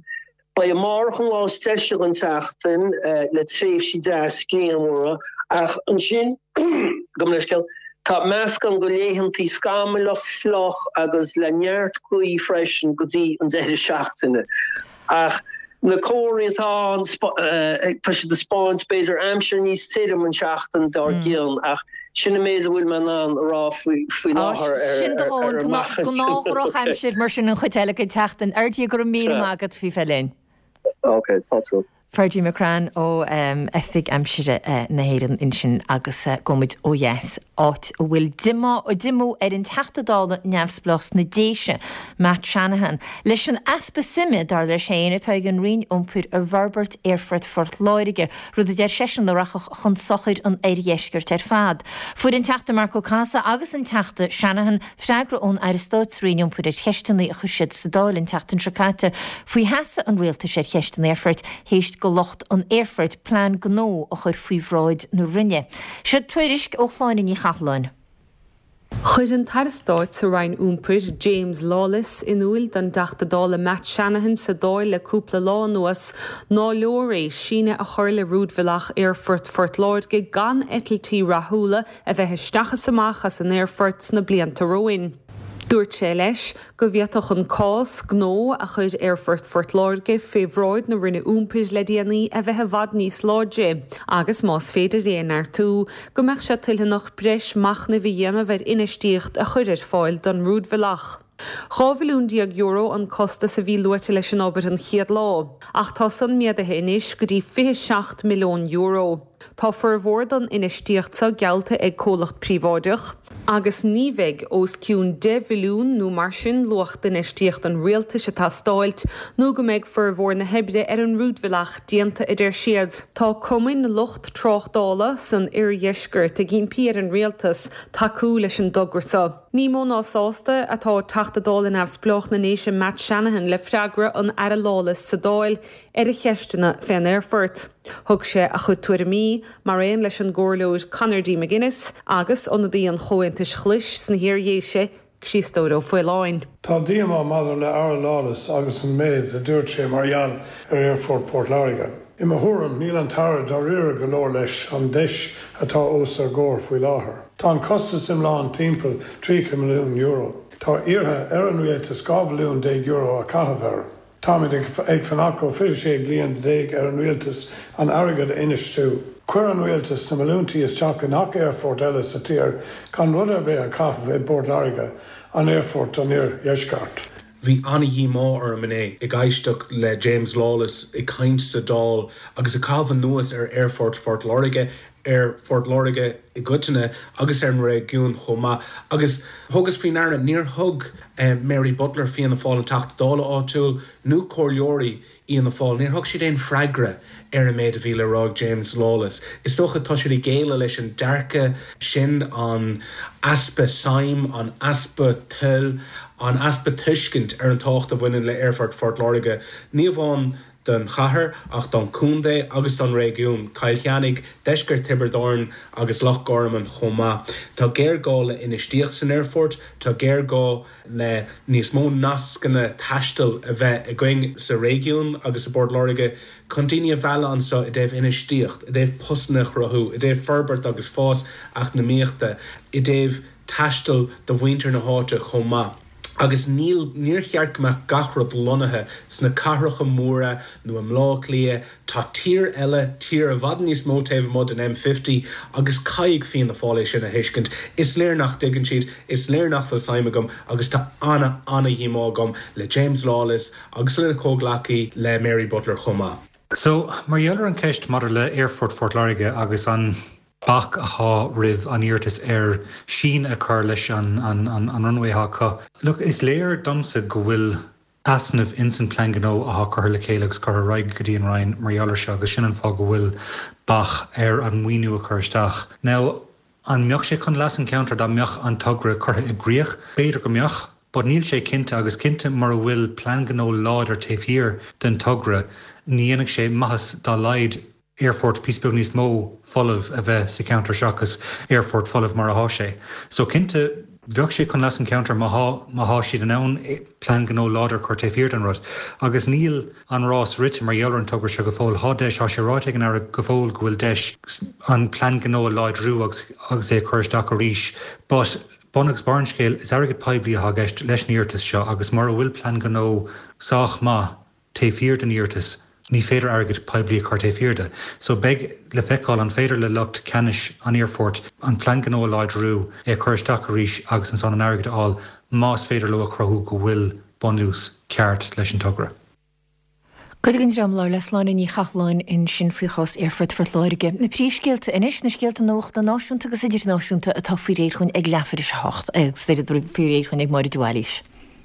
Beidh amárach an lá is deise den tseachtain le tréimhsí deas grianmhara ach ansin, gabh mo leithscéal, tá meascán de laethantaí scamallach, fliuch agus le neart gaoth freisin go dtí an deireadh seachtaine. Ach na comharthaí atá ann, tá siad ag spáint b'fhéidir aimsir níos tirim an seachtain dár gcionn ach sin an méid a bhfuil mé in ann a rá faoi láthair ar Sin do dhóthain, gnáth-dhrochaimsir mar sin an chuid eile den tseachtain. Fheirdie, go raibh míle maith agat faoi bheith linn. Ok, fáilte. Ferdie McCrann ó Oifig Aimsire na hÉireann ansin agus gabhfaimid ó dheas, áit a bhfuil diomá ar an Teachta Dála neamhspleách sna Déise, Matt Shanahan, leis an easpa suime, dar leis féin, atá ag an Roinn Iompair i bhforbairt Aerfort Phort Láirge, rud a deir seisean a rachadh chun sochair an oirdheiscirt ar fad. Fuair an Teachta Marc Ó Cathasaigh agus an Teachta Shanahan freagra ón Aire Stáit sa Roinn Iompair ar cheisteanna a chuir siad sa Dáil an tseachtain seo caite faoi sheasamh an Rialtais ar cheist an aerfoirt théis do lucht an aerfoirt plean gnó a chur faoi bhráid na Roinne. Seo tuairisc ó Shláine Ní Chathalláin. Chuir an tAire Stáit sa Roinn Iompair, James Lawless, in úil don dTeachta Dála Matt Shanahan sa Dáil le cúpla lá anuas ná leor é síneadh a chur le rúidbhealach Aerfort Phort Láirge gan eitiltí rathúla a bheith isteach is amach as an aerfort sna blianta romhainn. Dúirt sé leis go bhféadfadh an cás gnó a chuir Aerfort Phort Láirge fé bhráid na Roinne Iompair le déanaí a bheith i bhfad níos láidre agus, más féidir é a neartú, go mbeadh sé toiltheanach breis machnaimh a dhéanamh ar infheistíocht a chur ar fáil don rúidbhealach. €12 mhilliún an costas a bhí luaite leis an obair an chéad lá, ach tá san méadaithe anois go dtí €27 milliún. Tá formhór don infheistíocht seo geallta ag comhlacht príobháideach, agus ní bheidh os cionn 10 mhilliún nó mar sin luach d'infheistíocht an rialtais ag teastáilt nó go mbeidh formhór na hoibre ar an rúidbhealach déanta, a deir siad. Tá cumainn lucht tráchtála san oirdheisceart ag impí ar an rialtas tacú leis an dtogra seo. Ní mó ná sásta atá Teachta Dála Neamhspleách na nDéise Matt Shanahan le freagra an Aire Lawless sa Dáil ar a cheisteanna fén aerfort. Thug sé a chuid tuairimí, mar aon leis an gComhairleoir Conor D. McGuinness agus ionadaí an Chomhaontais Ghlais sna hIar-Dhéise, Críostóir Ó Faoláin. Tá díomá maidir le Aire Lawless agus an méid a dúirt sé mar gheall ar Aerfort Port Láirge. I mo thuairim, níl an tAire dáiríre go leor leis an deis atá os ár gcomhair faoi láthair. Tá an costas iomlán timpeall €30 milliún. Tá iarrtha ar an Rialtas €12 bhilliún a chaitheamh air. Táimid ag fanacht ó 26 bliain ar an rialtas an airgead a infheistiú. Chuir an rialtas na milliúintí isteach i ngach aerfort eile sa tír gan rud ar bith a chaitheamh i bPort Láirge, an aerfort don iardheisceart. Bhí an-dhíomá orm inné ag éisteacht le James Lawless ag caint sa Dáil agus ag caitheamh anuas ar Aerfort Phort Láirge, ar Phort Láirge i gcoitinne agus ar an réigiún chomh maith. Agus thugas faoi ndeara, níor thug Mary Butler, Fianna Fáil, an Teachta Dála áitiúil, nó comhairleoirí Fhianna Fáil, níor thug siad aon freagra ar an méid a bhí le rá ag James Lawless. Is dócha tá siad ag géilleadh leis an dearcadh sin, an easpa suim, an easpa toil, an easpa tuiscint ar an tábhacht a bhaineann le Aerfort Phort Láirge. Ní amháin don chathair ach don chontae agus don réigiún, Cill Chainnigh, deisceart Thiobraid Árann agus Loch Garman chomh maith. Tá géarghá le infheistíocht san aerfort, tá géarghá le níos mó nascanna taistil a bheith againn sa réigiún agus i bPort Láirge chun daoine a mhealladh anseo i dtaobh infheistíocht, i dtaobh postanna a chruthú, i dtaobh forbairt agus fás eacnamaíochta, i dtaobh taisteal do mhuintir na háite chomh maith. Agus níl, níor cheart go mbeadh gach rud lonnaithe sna cathracha móra nó i mBleá Cliath. Tá tír eile, tír i bhfad níos mó taobh amuigh den M50 agus caithfidh Fianna Fáil é sin a thuiscint. Is léir nach dtuigeann siad, is léir nach bhfuil suim acu agus tá ana, ana-dhíomá agam le James Lawless agus lena chomhghleacaí, le Mary Butler chomh maith. So, mar gheall ar an cheist maidir le Aerfort Phort Láirge agus an bac athá roimh an iarratas ar síneadh a chur leis an an runway athá acu, look, is léir domsa go bhfuil easnamh ins an plean gnó athá curtha le chéile agus curtha ar aghaidh go dtí an Roinn mar gheall ar seo agus sin an fáth go bhfuil bac ar an maoiniú a chur isteach. Now, An mbeadh sé chun leas an cheantair dá mbeadh an togra curtha i gcrích? B'fhéidir go mbeadh, but níl sé cinnte agus cinnte mura bhfuil plean gnó láidir taobh thiar den togra ní dhéanfaidh sé maitheas dá laghad aerfort píosa beag níos mó folamh a bheith sa cheantar seachas aerfort folamh mar athá sé. So cinnte bheadh sé chun leas an cheantair má thá má thá siad in ann plean gnó láidir a chur taobh thiar den rud agus níl an rás rite mar gheall ar an togra seo go fóill. Thá deis, thá sé ráite ag an Aire go fóill go bhfuil deis an plean gnó a láidriú agus agus é a chur isteach arís but bun agus barr an scéil, is airgead poiblí athá i gceist leis an iarratas seo agus mura bhfuil plean gnó sách maith taobh thiar den iarratas ní féidir airgead poiblí a chur taobh thiar de. So beidh le feiceáil an féidir le lucht ceannais an aerfoirt an plean gnó a láidriú, é a chur isteach arís agus ansan an airgead a fháil más féidir leo a chruthú go bhfuil bunús ceart leis an togra. Cuid den dream a labhair le Sláine Ní Chathalláin ansin faoi chás Aerfort Phort Láirge. Na príomhscéalta anois, na scéalta nuachta náisiúnta agus idirnáisiúnta atá faoi réir chugainn ag leathuair tar éis a hocht agus faoi réir chugainn ag Máire de Bhailís.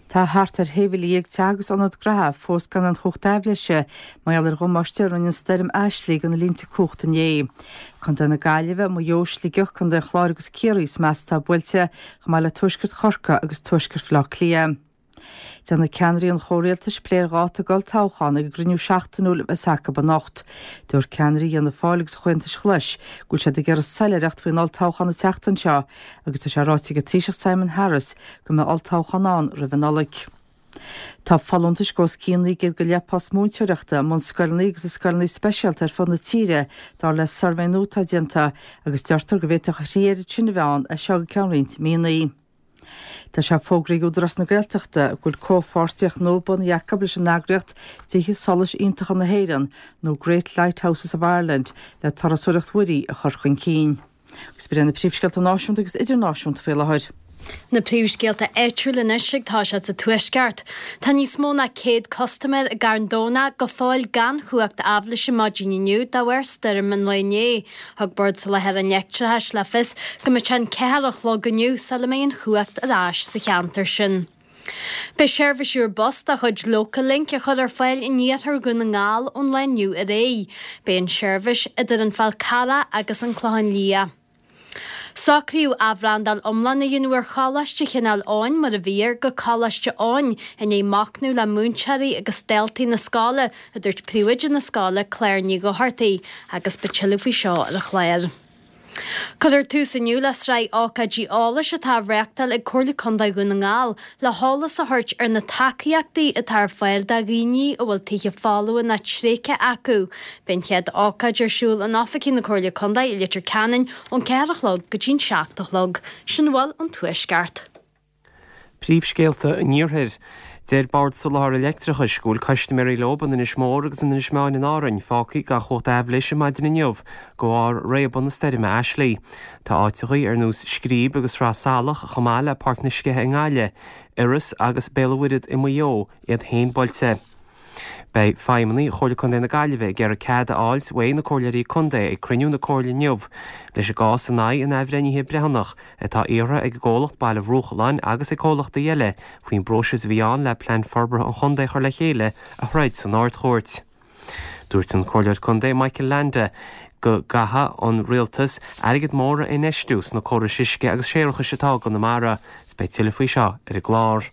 Tá thart ar 16,000 teach agus ionad gnaithe fós gan aon chumhacht aibhléise mar gheall ar dhamáiste a rinne an stoirm Ashley do na línte cumhachta inné. Contae na Gaillimhe, Maigh Eo, Sligeach, Contae an Chláir agus Ciarraí is measa atá buailte, chomh maith le tuaisceart Chorcaí agus tuaisceart Bhaile Átha Cliath. Déanfaidh ceannairí an chomhrialtais plé ar dháta ag olltoghchán ag an gcruinniú seachtainiúil a bheas acu anocht. Dúirt ceannairí Fhianna Fáil agus Chomhaontais Ghlais go bhfuil siad ag iarraidh soiléireacht faoin olltoghchán an tseachtain seo agus tá sé ráite ag an Taoiseach Simon Harris go mbeidh olltoghchán ann roimh an Nollaig. Tá folúntais de os cionn 900 go leith post múinteoireachta i mbunscoileanna agus i scoileanna speisialta ar fud na tíre, dar le suirbhé nua atá déanta, agus deirtear go bhféadfadh a thrí oiread sin a bheith ann as seo go ceann roinnt míonna. Tá sé fógraithe ag Údarás na Gaeltachta go bhfuil comhpháirtíocht nua bunaithe acu leis an eagraíocht Tithe Solais Iontacha na hÉireann nó Great Lighthouses of Ireland le turasóireacht mhuirí a chur chun cinn. Agus b'in iad na príomhscéalta náisiúnta agus idirnáisiúnta faoi láthair. Na príomhscéalta áitiúla anois ag toiseacht sa Tuaisceart. Tá níos mó ná 100 custaiméir i gCarn Domhnach go fóill gan chumhacht aibhléise maidin inniu de bharr stoirm an lae inné. Thug Bord Soláthair an Leictreachais le fios go mbeidh sé an 4 a chlog inniu sula mbeidh an chumhacht ar ais sa cheantar sin. Beidh seirbhís úr bus de chuid Local Link á chur ar fáil in iarthar Dhún na nGall ón lá inniu ar aghaidh. Beidh an tseirbhís idir an Fál Carrach agus an Clochán Liath. Socraíodh athbhrandáil iomlán a dhéanamh ar Choláiste Chineál Eoghain mar a bhí air go Coláiste Eoin i ndiaidh machnamh le múinteoirí agus daltaí na scoile, a dúirt príomhoide na scoile Claire Ní Dhochartaigh, agus beidh tuilleadh faoi seo ar an chlár. Cuirfear tús inniu le sraith ócáidí eolais atá á reáchtáil ag Comhairle Contae Dhún na nGall le heolas a thabhairt ar na tacaíochtaí atá ar fáil do dhaoine a bhfuil tithe folmha nó tréigthe acu. Beidh an chéad ócáid ar siúl in oifigí na Comhairle Contae i Leitir Ceanainn ón 4 a chlog go dtí'n 7 a chlog. Sin a bhfuil ón Tuaisceart. Príomhscéalta an Iarthair. Deir Bord Soláthair Leictreachais go bhfuil custaiméirí leo in Inis Mór agus in Inis Meáin in Árainn fágtha gan chumhacht aibhléise maidin inniu de bharr réabadh na stoirme Ashley. Tá áiteachaí ar nós Scríb agus Sraith Salach chomh maith le Páirc na Sceiche i nGaillimh, Iorras agus Béal an Mhuirthead i Maigh Eo iad féin buailte. Beidh feidhmeannaigh Chomhairle Contae na Gaillimhe ag iarraidh cead a fháilt uaidh na Comhairleoirí Contae ag cruinniú na Comhairle inniu leis an gcás in aghaidh an athbhreithnithe breithiúnach atá iarrtha ag an gcomhlacht Baile Bhruachalláin agus ag comhlachtaí eile faoin bpróiseas a bhí ann le plean forbartha an chontae a chur le chéile a throid san Ard-Chúirt. Dúirt an Comhairleoir Contae Michael Leainde go gcaithfidh an Rialtas airgead mór a infheistiú sna córais uisce agus séarachais atá i gConamara. 'S beidh tuilleadh faoi seo ar an gclár.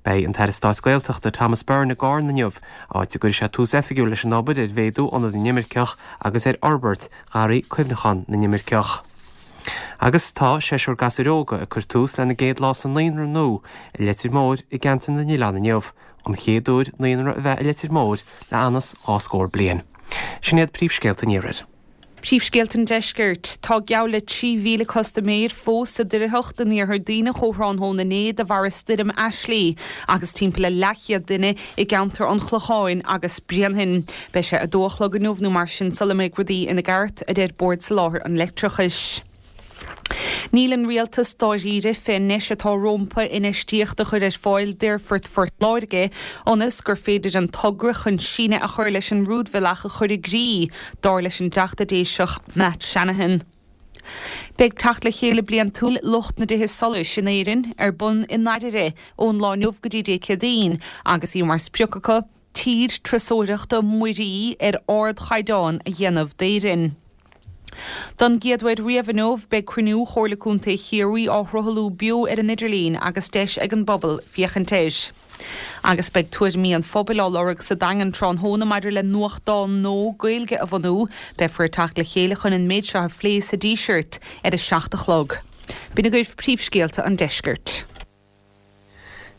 Beidh an tAire Stáit Gaeltachta Thomas Byrne i gCarna inniu, áit a gcuirfidh sé tús oifigiúil leis an obair ar mhéadú Ionad na nImirceach agus ar fhorbairt Gharraí Cuimhneacháin na nImirceach. Agus tá seisear gasúir óga ag cur tús lena gcéad lá sa naíonra nua i Leitir Móir i gCeantar na nOileán inniu, an chéad uair naíonra a bheith i Leitir Móir le anuas dhá scór bliain. Sin iad príomhscéalta an Iarthair. Príomhscéalta an Deiscirt. Tá geall le 3,000 custaiméir fós sa doircheacht in iarthar Duibhneach ó thráthnóna inné de bharr stoirm Ashley agus timpeall le leathchéad duine i gceantar an Chlocháin agus Bréanainn. Beidh sé a dó a chlog inniu nó mar sin sula mbeidh rudaí ina gceart, a deir Bord Soláthair an Leictreachais. Níl an Rialtas dáiríre fén ndeis atá rómpa infheistíocht a chur ar fáil d'Aerfort Phort Láirge ionas gur féidir an togra chun síneadh a chur leis an rúidbhealach a chur i gcrích, dar leis an dTeachta Déiseach Matt Shanahan. Beidh teacht le chéile bliantúil lucht na dtithe solais in Éirinn ar bun i nDairire ón lá inniu go dtí Dé Céadaoin agus í mar sprioc acu tír turasóireachta muirí ar ardchaighdeán a dhéanamh d'Éirinn. Don gcéad uair riamh inniu, beidh cruinniú Chomhairle Contae Chiarraí á shruthlú beo ar an idirlíon agus deis ag an bpobal féachaint air. Agus beidh tuairimí an phobail á lorg sa Daingean tráthnóna maidir le nuachtán nua Gaeilge a bhunú. Beifear ag teacht le chéile chun an méid seo a phlé sa Díseart ar a 7 a chlog. B'in agaibh príomhscéalta an deiscirt.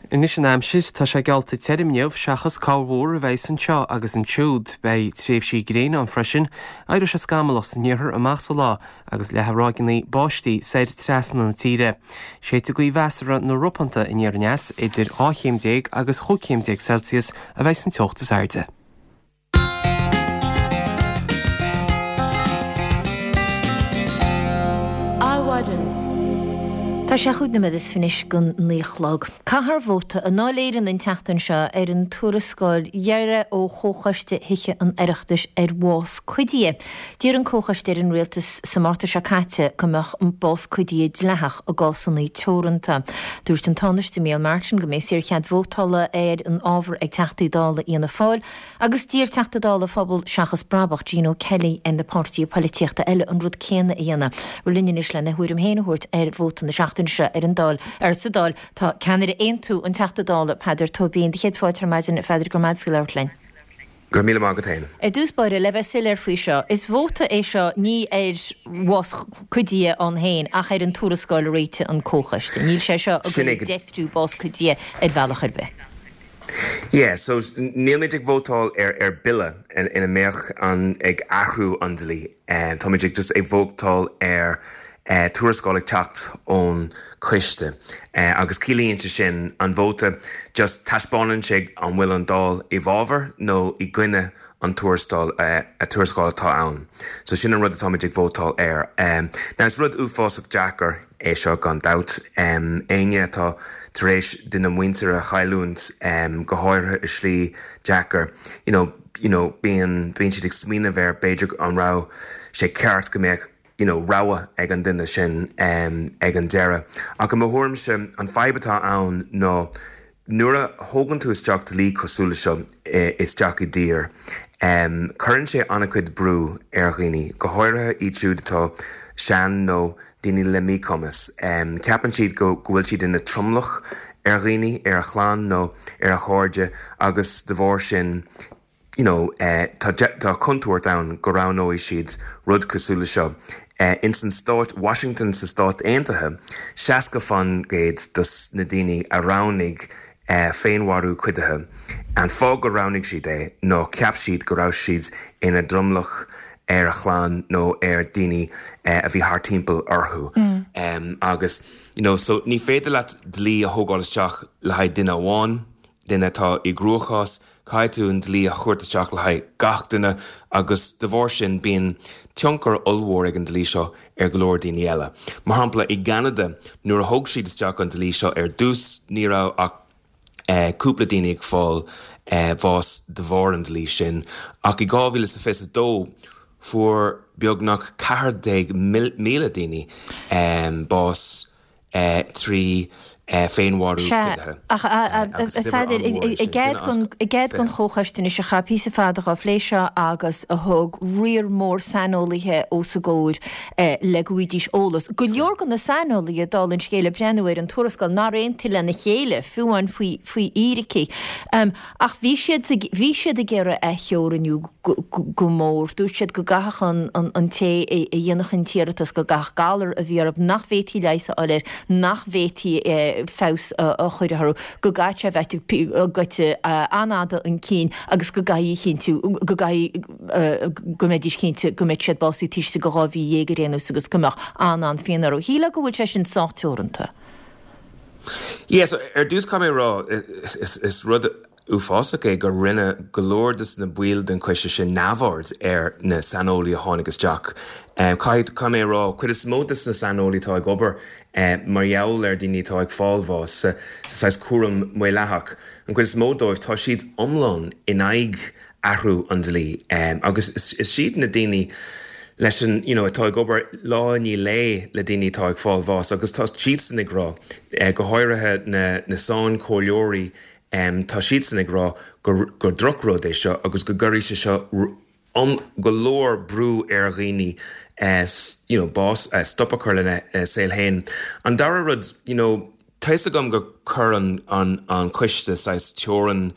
Anois an aimsir, tá sé geallta tirim inniu seachas corrmhúr a bheidhs anseo agus ansiúd. Beidh tréimhsí gréine ann freisin. Éireoidh sé scamallach san iarthar amach sa lá agus leathfaidh ráigeanna báistí soir trasna na tíre. Séidfidh gaoth mheasartha nó ropánta aniar aneas, idir 12 chéim agus 15 chéim Celsius a bheidhs an teocht is airde. Adhmhaidin. Tá sé chúig nóiméad is fiche anois don naoi a chlog. Caithfear vóta i nDáil Éireann an tseachtain seo ar an tuarascáil dheiridh ó Chomhchoiste Thithe an Oireachtais ar bhás cuidithe. D'iarr an Comhchoiste ar an Rialtas sa Márta seo caite go mbeadh an bás cuidithe dleathach i gcásanna teoranta. Dúirt an Tánaiste Micheál Martin go mbeidh saorchead vótála ar an ábhar ag Teachtaí Dála Fhianna Fáil Agus d'iarr Teachta Dála Phobal Seachas Brabach, Gino Kelly, ar na páirtithe poilitíochta eile an rud céanna a dhéanamh. Bhuel linn anois lena thuairim féin a thabhairt ar vóta na seachtaine seo ar an Dáil, ar sa Dáil, tá ceannaire Aontú, an Teachta Dála Peadar Tóibín. Do chéad fáilte ar maidin, a Pheadair, go raibh maith agat faoi labhairt linn. Go raibh míle maith agat féin. Ar dtús báire, le bheith soiléir faoi seo, is vóta é seo ní ar bhás cuidithe ann féin ach ar an tuarascáil a réitigh an Comhchoiste. Níl sé seo ag Sin goil é. ag deifriú bás cuidithe ar bhealach ar bith. Yeah, so nílmid ag vótáil ar ar bille ina mbeadh an ag athrú an dlí. Táimid ag just ag vótáil ar tuarascáil ag teacht ón coiste. Agus ciallaíonn sé sin an vóta just taispeánann sé an bhfuil an Dáil i bhfabhar nó i gcoinne an tuarascáil tuarascáil atá ann. So sin an rud atáimid ag vótáil air. Now is rud uafásach deacair é seo gan dabht. Éinne atá tar éis duine muinteartha a chailliúint, go háirithe i slí deacair, you know, you know, bíonn, bíonn siad ag smaoineamh ar b'fhéidir an raibh sé ceart go mbeadh, you know, rogha ag an duine sin ag an deireadh. Ach i mo thuairimse, an fadhb atá ann ná nuair a thógann tú isteach dlí cosúil le seo isteach i dtír, cuireann sé an-chuid brú ar dhaoine, go háirithe iad siúd atá sean nó daoine le míchumas. Ceapann siad go bhfuil siad ina tromlach ar dhaoine, ar a chlann nó ar a chairde agus de bharr sin, you know, tá tá contúirt ann go roghnóidh siad rud cosúil le seo. Ins an stát Washington sa Stát Aontaithe, 60% dos na daoine a roghnaigh féinmharú cuidithe, an fáth gur roghnaigh siad é ná cheap siad go raibh siad ina dtromlach ar a chlann nó ar daoine a bhí thart timpeall orthu. Agus, you know, so ní féidir leat dlí a thógáil isteach le haghaidh duine amháin, duine atá i gcruachás, caithfidh tú an dlí a thabhairt isteach le haghaidh gach duine agus de bharr sin bíonn tionchar ollmhór ag an dlí seo ar go leor daoine eile. Mar shampla, i gCeanada, nuair a thóg siad isteach an dlí seo ar dtús, ní raibh ach cúpla daoine ag fáil bháis de bharr an dlí sin, ach i 2022 fuair beagnach 14,000 daoine bás. 3 féinmharú Sea, cuidithe. ach a Agus uimhir Pheadair, an-mhór é i sin, gcead duine as don, i gcead don 20. Chomhchoiste anois a chaith píosa fada dhá phlé seo agus a thug riar mór saineolaithe os a gcomhair le go bhfaighidís eolas. Go leor de na saineolaithe, dála an scéil, ag breathnú ar an tuarascáil, nár aontaigh lena chéile, fiú amháin faoi, faoi fhíricí. Ach bhí siad ag, bhí siad ag iarraidh a theorannú go mór. Dúirt siad go gcaithfeadh an, an té a dhéanfadh an t-iarratas, go gcaithfeadh galar a bhí orthu nach bhféadfaí leigheas a fháil air, nach bhféadfaí. feabhas a chur orthu, go gcaithfidh sé a bheith goite an-fhada chun cinn agus go gcaithfidh a chinntiú, go gcaithfidh go mbeidís cinnte go mbeidh siad básaithe taobh istigh de 12 mhí ar aon nós agus go mbeadh an-an-phian orthu. Shílfeá go bhfuil sé sin sách teoranta. Yeah, so ar dtús caithfidh mé a rá, is rud uafásach é gur rinne go leor de na baill den choiste sin neamhaird ar na saineolaí a tháinig isteach. Caithfidh, caithfidh mé a rá, cuid is mó de na saineolaí atá ag obair mar gheall ar daoine atá ag fáil bháis sa saghas cúram maolaitheach, an chuid is mó dóibh, tá siad iomlán in aghaidh athrú an dlí agus is iad na daoine leis an, you know, atá ag obair lá i ndiaidh lae le daoine atá ag fáil bháis agus tá siadsan ag rá, go háirithe na na sainchomhairleoirí, tá siadsan ag rá gur gur drochrud é seo agus go gcuirfidh sé seo go leor brú ar dhaoine you know bás, stop a chur lena saol féin. An dara rud, you know, Tá fhios agam gur chuir an an coiste saghas teorainn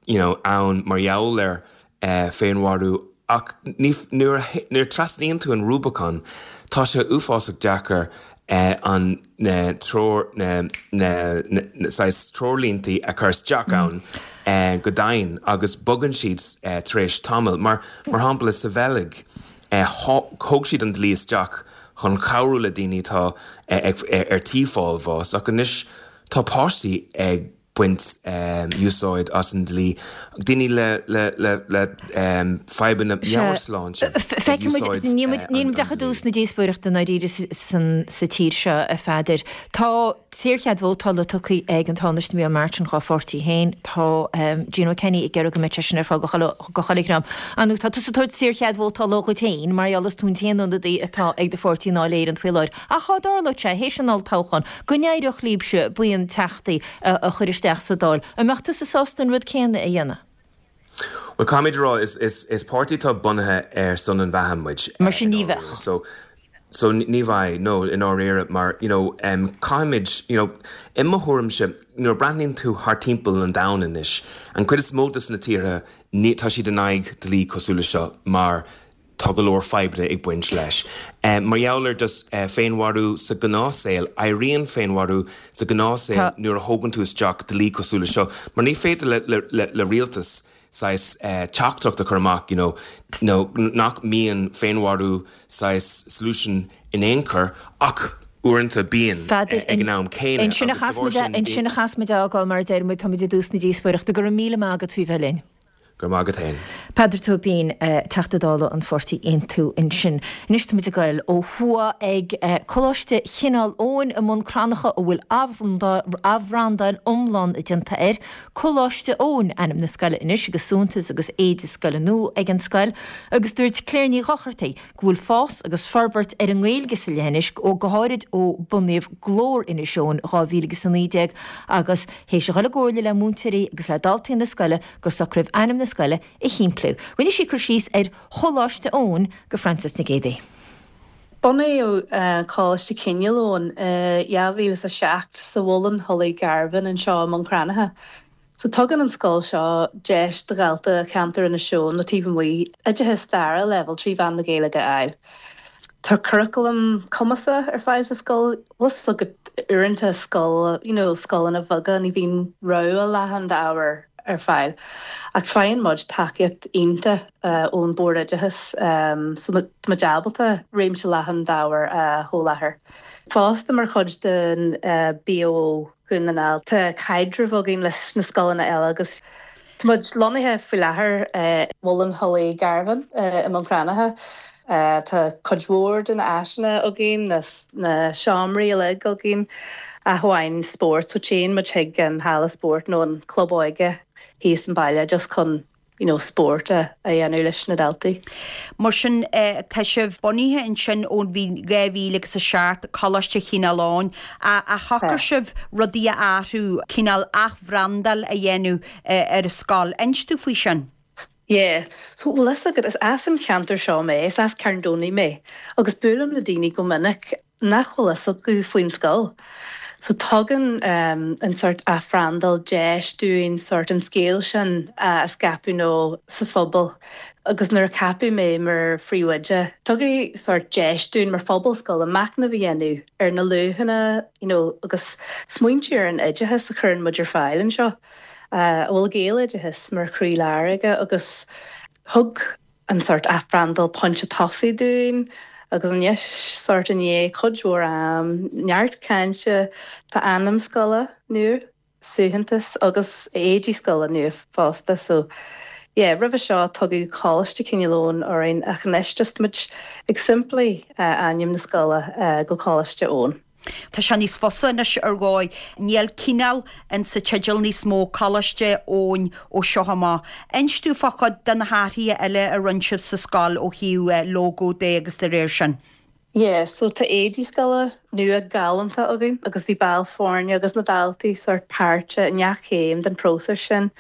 you know ann mar gheall ar féinmharú ach ní nuair a nuair a trasnaíonn tú an Rubicon tá sé uafásach deacair an na treoir na na na saghas treoirlínte a chur isteach ann go domhain agus bogann siad tar éis tamaill mar mar shampla sa Bheilg thóg siad an dlí isteach chun cabhrú le daoine atá ar tí fáil bháis ach anois tá páistí ag baint úsáid as an dlí, daoine le fadhbanna meabhairshláinte ag úsáid an dlí. Níl muid ach i dtús na díospóireachta i ndáiríre sa tír seo, a Pheadair. Tá saorchead vótála tugtha ag an Tánaiste Micheál Martin dhá pháirtí féin. Tá Gino Kenny ag iarraidh go mbeadh sé sin ar fáil go chuile dhream. Ar ndóigh, tá tusa ag tabhairt saorchead vótála dhuit féin mar gheall is tú an t-aon ionadaí atá ag do pháirtí i nDáil Éireann faoi láthair. Ach dhá dtarlódh sé, théis an olltoghcháin, go n-éireodh libhse buíon teachtaí a chur isteach sa Dáil, an mbeadh tusa sásta an rud céanna a dhéanamh? Bhuel, caithfimid a rá, is páirtí atá bunaithe ar son an bheatha muid. Mar sin ní bheadh. So, so ní bheidh, no, i ndáiríre, mar, you know, caithfimid, you know, i mo thuairimse, nuair a breathnaíonn tú thart timpeall an domhain anois, an chuid is mó de na tíortha, ní, tá siad in aghaidh dlí cosúil le seo mar tá go leor fadhbanna ag baint leis. Mar gheall ar just féinmharú sa ghnáthshaol, éiríonn féinmharú sa ghnáthshaol nuair a thógann tú isteach dlí cosúil le seo, mar ní féidir le rialtas saghas teachtaireacht a chur amach you know nó nach mbíonn féinmharú saghas solution in aon chor ach uaireanta bíonn ag an am céanna agus de bharr sin. Ansin a chas muid a fhágáil mar a deir muid, táimid i dtús na díospóireachta. Go raibh míle maith agat faoi bheith linn. Go raibh maith agat féin. Peadar Tóibín, Teachta Dála an pháirtí Aontú ansin. Anois tá muid ag goil ó thuaidh ag Coláiste Chineál Eoghain i mBun Cranncha a bhfuil athbhrandáil iomlán déanta air. Coláiste Eoin ainm na scoile anois agus suaitheantas agus éide scoile nua ag an scoil agus dúirt Claire Ní Dhochartaigh go bhfuil fás agus forbairt ar an nGaeilge sa leithinis go háirid ó bunaíodh Glór Inis Eoghain 2019 agus théis a dhul i gcomhairle le múinteoirí agus le daltaí na scoile gur socraíodh ainm na scoile a shimpliú. Rinne sí cur síos ar Choláiste Eoin go Frances Nic Géadaigh. Bunaíodh Coláiste Chineál Eoghain i 2007 sa Mhuileann Thulaigh Garbhán anseo i mBun Cranncha. So tugann an scoil seo deis do dhalta cheantar Inis Eoghain nó taobh amuigh oideachas dara leibhéal trí mheán na Gaeilge a fháil. Tá curaclam cumasach ar fáil sa scoil. Bhfuil fhios agat uaireanta scoil, you know, scoileanna bheaga ní bhíonn rogha leathan d'ábhair ar fáil. Ach faigheann muid tacaíocht iontach ón Bord Oideachais so tá muid ábalta réimse leathan d'ábhair a sholáthar. Fosta mar chuid den BOO Dhún na nGall tá caidreamh againn leis na scoileanna eile agus tá muid lonnaithe faoi láthair i Muileann Thulaigh Garbhán i mBun Cranncha. Tá cuid mhór de na áiseanna againn, na seomraí uilig againn, ach amháin spórt, so téann muid chuig an halla spóirt nó an club óige thíos an baile just chun you know spórt a dhéanamh leis na daltaí. Mar sin, tá sibh bunaithe ansin ón bhliain 2000 agus 7, Coláiste Chineál Eoghain, ach shocraigh sibh rudaí a athrú, cineál athbhrandáil a dhéanamh ar an scoil. Inis domh faoi sin. Yeah. So, bhfuil fhios agat, is as an cheantar seo mé, is as Carn Domhnach mé, agus buailim le daoine go minic nach bhfuil fhios acu faoin scoil. So tugann an sórt athbhrandáil deis dúinn sórt an scéal sin a scaipeadh nó sa phobal agus nuair a ceapadh mé mar phríomhoide, tugadh sórt deis dúinn mar phobal scoile machnamh a dhéanamh ar na luachanna you know agus smaointiú ar an oideachas a chuireann muid ar fáil anseo, a bhfuil Gaeloideachas mar chroílár aige agus thug an sórt athbhrandáil pointe tosaigh dúinn agus anois sórt i ndiaidh cuid mhór am, neart cainte, tá ainm scoile nua, suaitheantas agus éidí scoile nua fosta so yeah roimhe seo tugadh Coláiste Chineál Eoghain orainn ach anois just tá muid ag simpliú ainm na scoile go Coláiste Eoin. Tá sé níos fusa anois ar dhóigh. Níl cineál in sa teideal níos mó, Coláiste Eoin ó seo amach. Inis dúinn fá chuid de na hathruithe eile a rinne sibh sa scoil ó thaobh lógó de agus de réir sin. Yeah, so tá éidí scoile nua galánta againn agus bhí baill foirne agus na daltaí sórt páirteach i ngach céim den próiseas sin,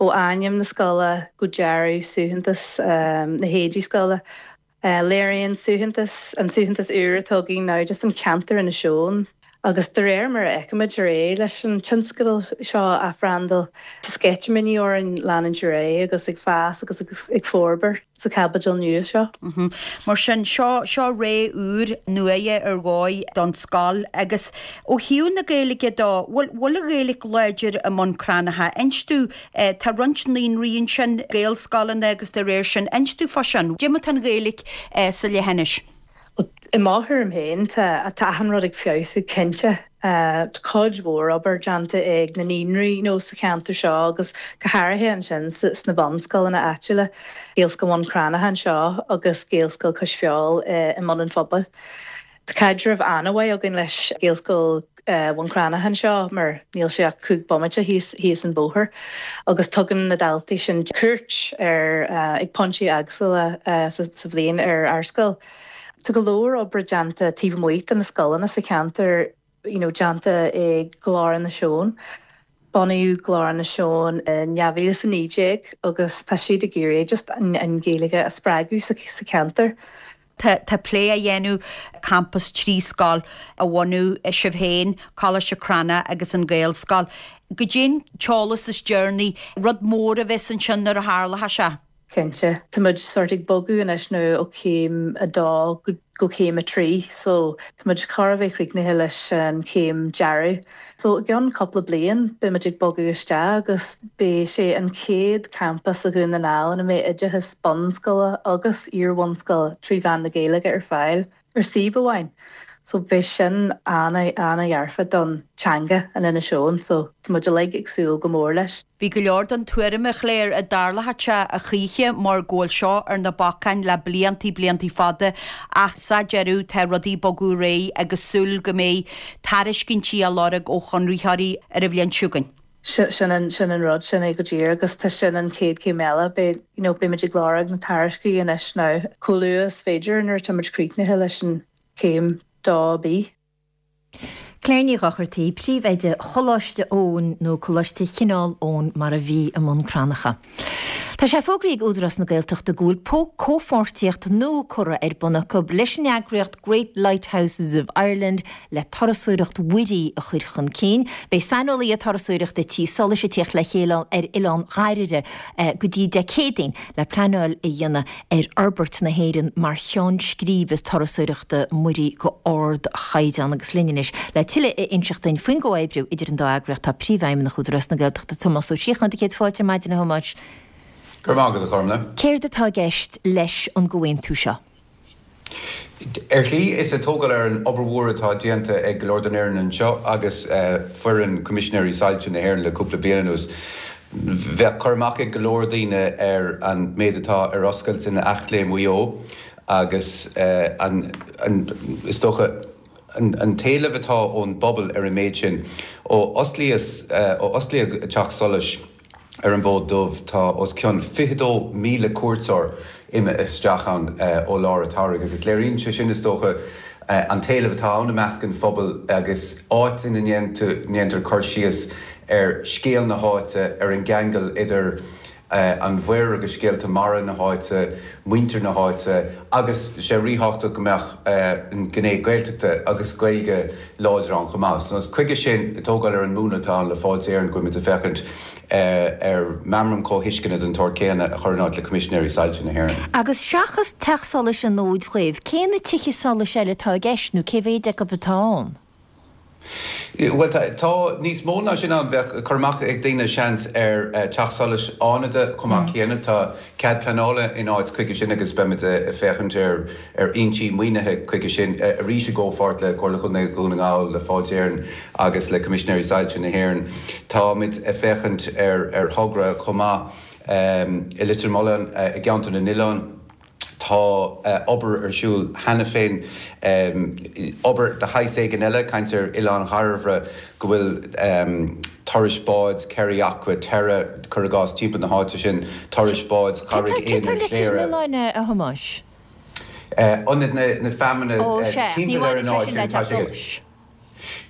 ó ainm na scoile go dearadh suaitheantas na héidí scoile. Léiríonn suaitheantas, an suaitheantas úr atá againn now just an ceantar Inis Eoghain agus de réir mar a fheicimid ar aghaidh leis an tionscadal seo athbhrandáil, tá sceitimíní orainn leanúint ar aghaidh agus ag fás agus ag forbairt sa chaibidil nua seo. Mar sin, seo, seo ré úr nua ar dhóigh don scoil agus ó thaobh na Gaeilge dó, bhfuil, bhfuil an Ghaeilge láidir i mBun Cranncha? Inis dúinn Tá roinnt naíonraí ansin, Gaelscoileanna agus de réir sin. Inis dúinn fá sin. Cad é mar atá an Ghaeilge sa leithinis? I mo thuairim féin, tá achan rud ag feabhsú, cinnte. Tá cuid mhór obair déanta ag na naíonraí you know sa cheantar seo agus go háirithe ansin sna bunscoileanna áitiúla, Gaelscoil Bhun Cranncha anseo agus Gaelscoil Cois Feabhail i mBun an Phobail. Tá caidreamh an-mhaith againn leis Gaelscoil Bhun Cranncha anseo mar níl sé ach 5 bomaite thíos thíos an bóthar agus tugann na daltaí sin cuairt ar ag pointí eagsúla sa bhliain ar ár scoil. Tá go leor oibre déanta taobh amuigh de na scoileanna sa cheantar you know déanta ag Glór Inis Eoghain. Bunaíodh Glór Inis Eoghain in 2019 agus tá siad ag iarraidh just an Ghaeilge a spreagadh sa cheantar. Tá plé á dhéanamh campas 3 scoil a bhunú, sibh féin, Coláiste Cranncha agus an Ghaelscoil. Goidé an t-eolas is deireanaí, rud mór a bheas ansin nuair a tharlóidh sé. Cinnte. Tá muid sórt ag bogadh anois nó ó chéim 2 go céim 3 so tá muid chóir a bheith críochnaithe leis an chéim dearaidh. So i gceann cúpla bliain beidh muid ag bogadh isteach agus beidh sé an chéad campas i Dhún na nGall ina mbeidh oideachas bunscoile agus iar-bhunscoile trí mheán na Gaeilge ar fáil ar suíomh amháin. So beidh sin an-dhearfa don teanga in Inis Eoghain so tá muid uilig ag súil go mór leis. Bhí go leor den tuairim, a Chléir, a dtarlódh sé a choíche mar go bhfuil seo ar na bacáin le bliantaí, bliantaí fada ach sa deireadh tá rudaí ag bogadh ar aghaidh agus súil go mbeidh tairiscintí á lorg ó chonraitheoirí ar an bhliain seo chugainn. Sin an, sin an rud, sin é go díreach agus tá sin an chéad chéim eile. Beidh, you know, beimid ag lorg na tairiscintí anois now chomh luath is féidir nuair atá muid críochnaithe leis an chéim 2B. Claire Ní Dhochartaigh, Príomhoide Choláiste Eoin, nó Coláiste Chineál Eoin mar a bhí i mBun Cranncha. Tá sé fógraithe ag Údarás na Gaeltachta go bhfuil comhpháirtíocht nua curtha ar bun acu leis an eagraíocht Great Lighthouses of Ireland le turasóireacht mhuirí a chur chun cinn. Beidh saineolaithe turasóireachta Tí Solais ag tíocht le chéile ar Oileán Dháirire go dtí Dé Céadaoin le pleanáil a dhéanamh ar fhorbairt na hÉireann mar cheann scríbe turasóireachta muirí go ardchaighdeán agus linn anois le tuilleadh a inseacht duinn faoin gcomhoibriú idir an dá eagraíocht tá Príomhfheidhmeannach Údarás na Gaeltachta Tomás Ó Síocháin. Do chéad fáilte ar maidin a Thomáis. Go raibh maith agat a Ghormlaith. Céard atá i gceist leis an gcomhaontú seo? Ar shlí, is ag tógáil ar an obair mhór atá déanta ag go leor den fhoireann anseo agus foireann Coimisinéirí Soilse na hÉireann le cúpla bliain anuas. Bheadh cur amach ag go leor daoine ar an méid atá ar oscailt in Eachléim Mhaigh Eo agus an, is dócha, an t-éileamh atá ón bpobal ar an méid sin. Ó osclaíodh Teach Solais, Ar an bhFód Dubh, tá os cionn 22,000 cuairteoir imithe isteach ann ó lár an tsamhraidh agus léiríonn sé sin, is dócha, an t-éileamh atá ann i measc an phobail agus áit ina ndéantar cur síos ar scéal na háite, ar an gceangal idir. an mhuir agus scéalta mara na háite, muintir na háite agus sé ríthábhachtach go mbeadh an ghné Gaeltachta agus Gaeilge láidir ann chomh maith. So is chuige sin, ag tógáil ar an múnla atá ann le Fáilte Éireann, go bhfuilimid ag féachaint ar meamram comhthuisceana den tsórt céanna a chur in áit le Coimisinéirí Soilse na hÉireann. Agus seachas Teach Solais an Fhóid Dhuibh, cé na tithe solais eile atá i gceist nó cé mhéid acu atá ann? Bhuel, tá níos mó ná sin ann. Bheadh cur amach ag daoine, seans, ar Teach Solais Fhánada chomh maith céanna. Tá cead pleanála in áit chuige sin agus beimid ag féachaint ar fhoinsí maoinithe chuige sin, arís i gcomhpháirt le Comhairle Chontae Dhún na nGall, le Fáilte Éireann agus le Coimisinéirí Soilse na hÉireann. Táimid ag féachaint ar thogra chomh maith i Leitir Mealláin, i gCeantar na nOileán. Tá obair ar siúl cheana féin, obair de shaghas éigin eile, caint ar Oileán Dhairbhre, go bhfuil turais báid Kerry Aqua Terra, cuir i gcás, timpeall na háite sin, turais báid Charraig Cé tá Éanair Leitir Chléire. Mealláin, a Thomáis? Ionad na Feamainne Ó, sea, ní timpeall ar bhaineann an sé áit sin le sin, tá Teach sé. Solais.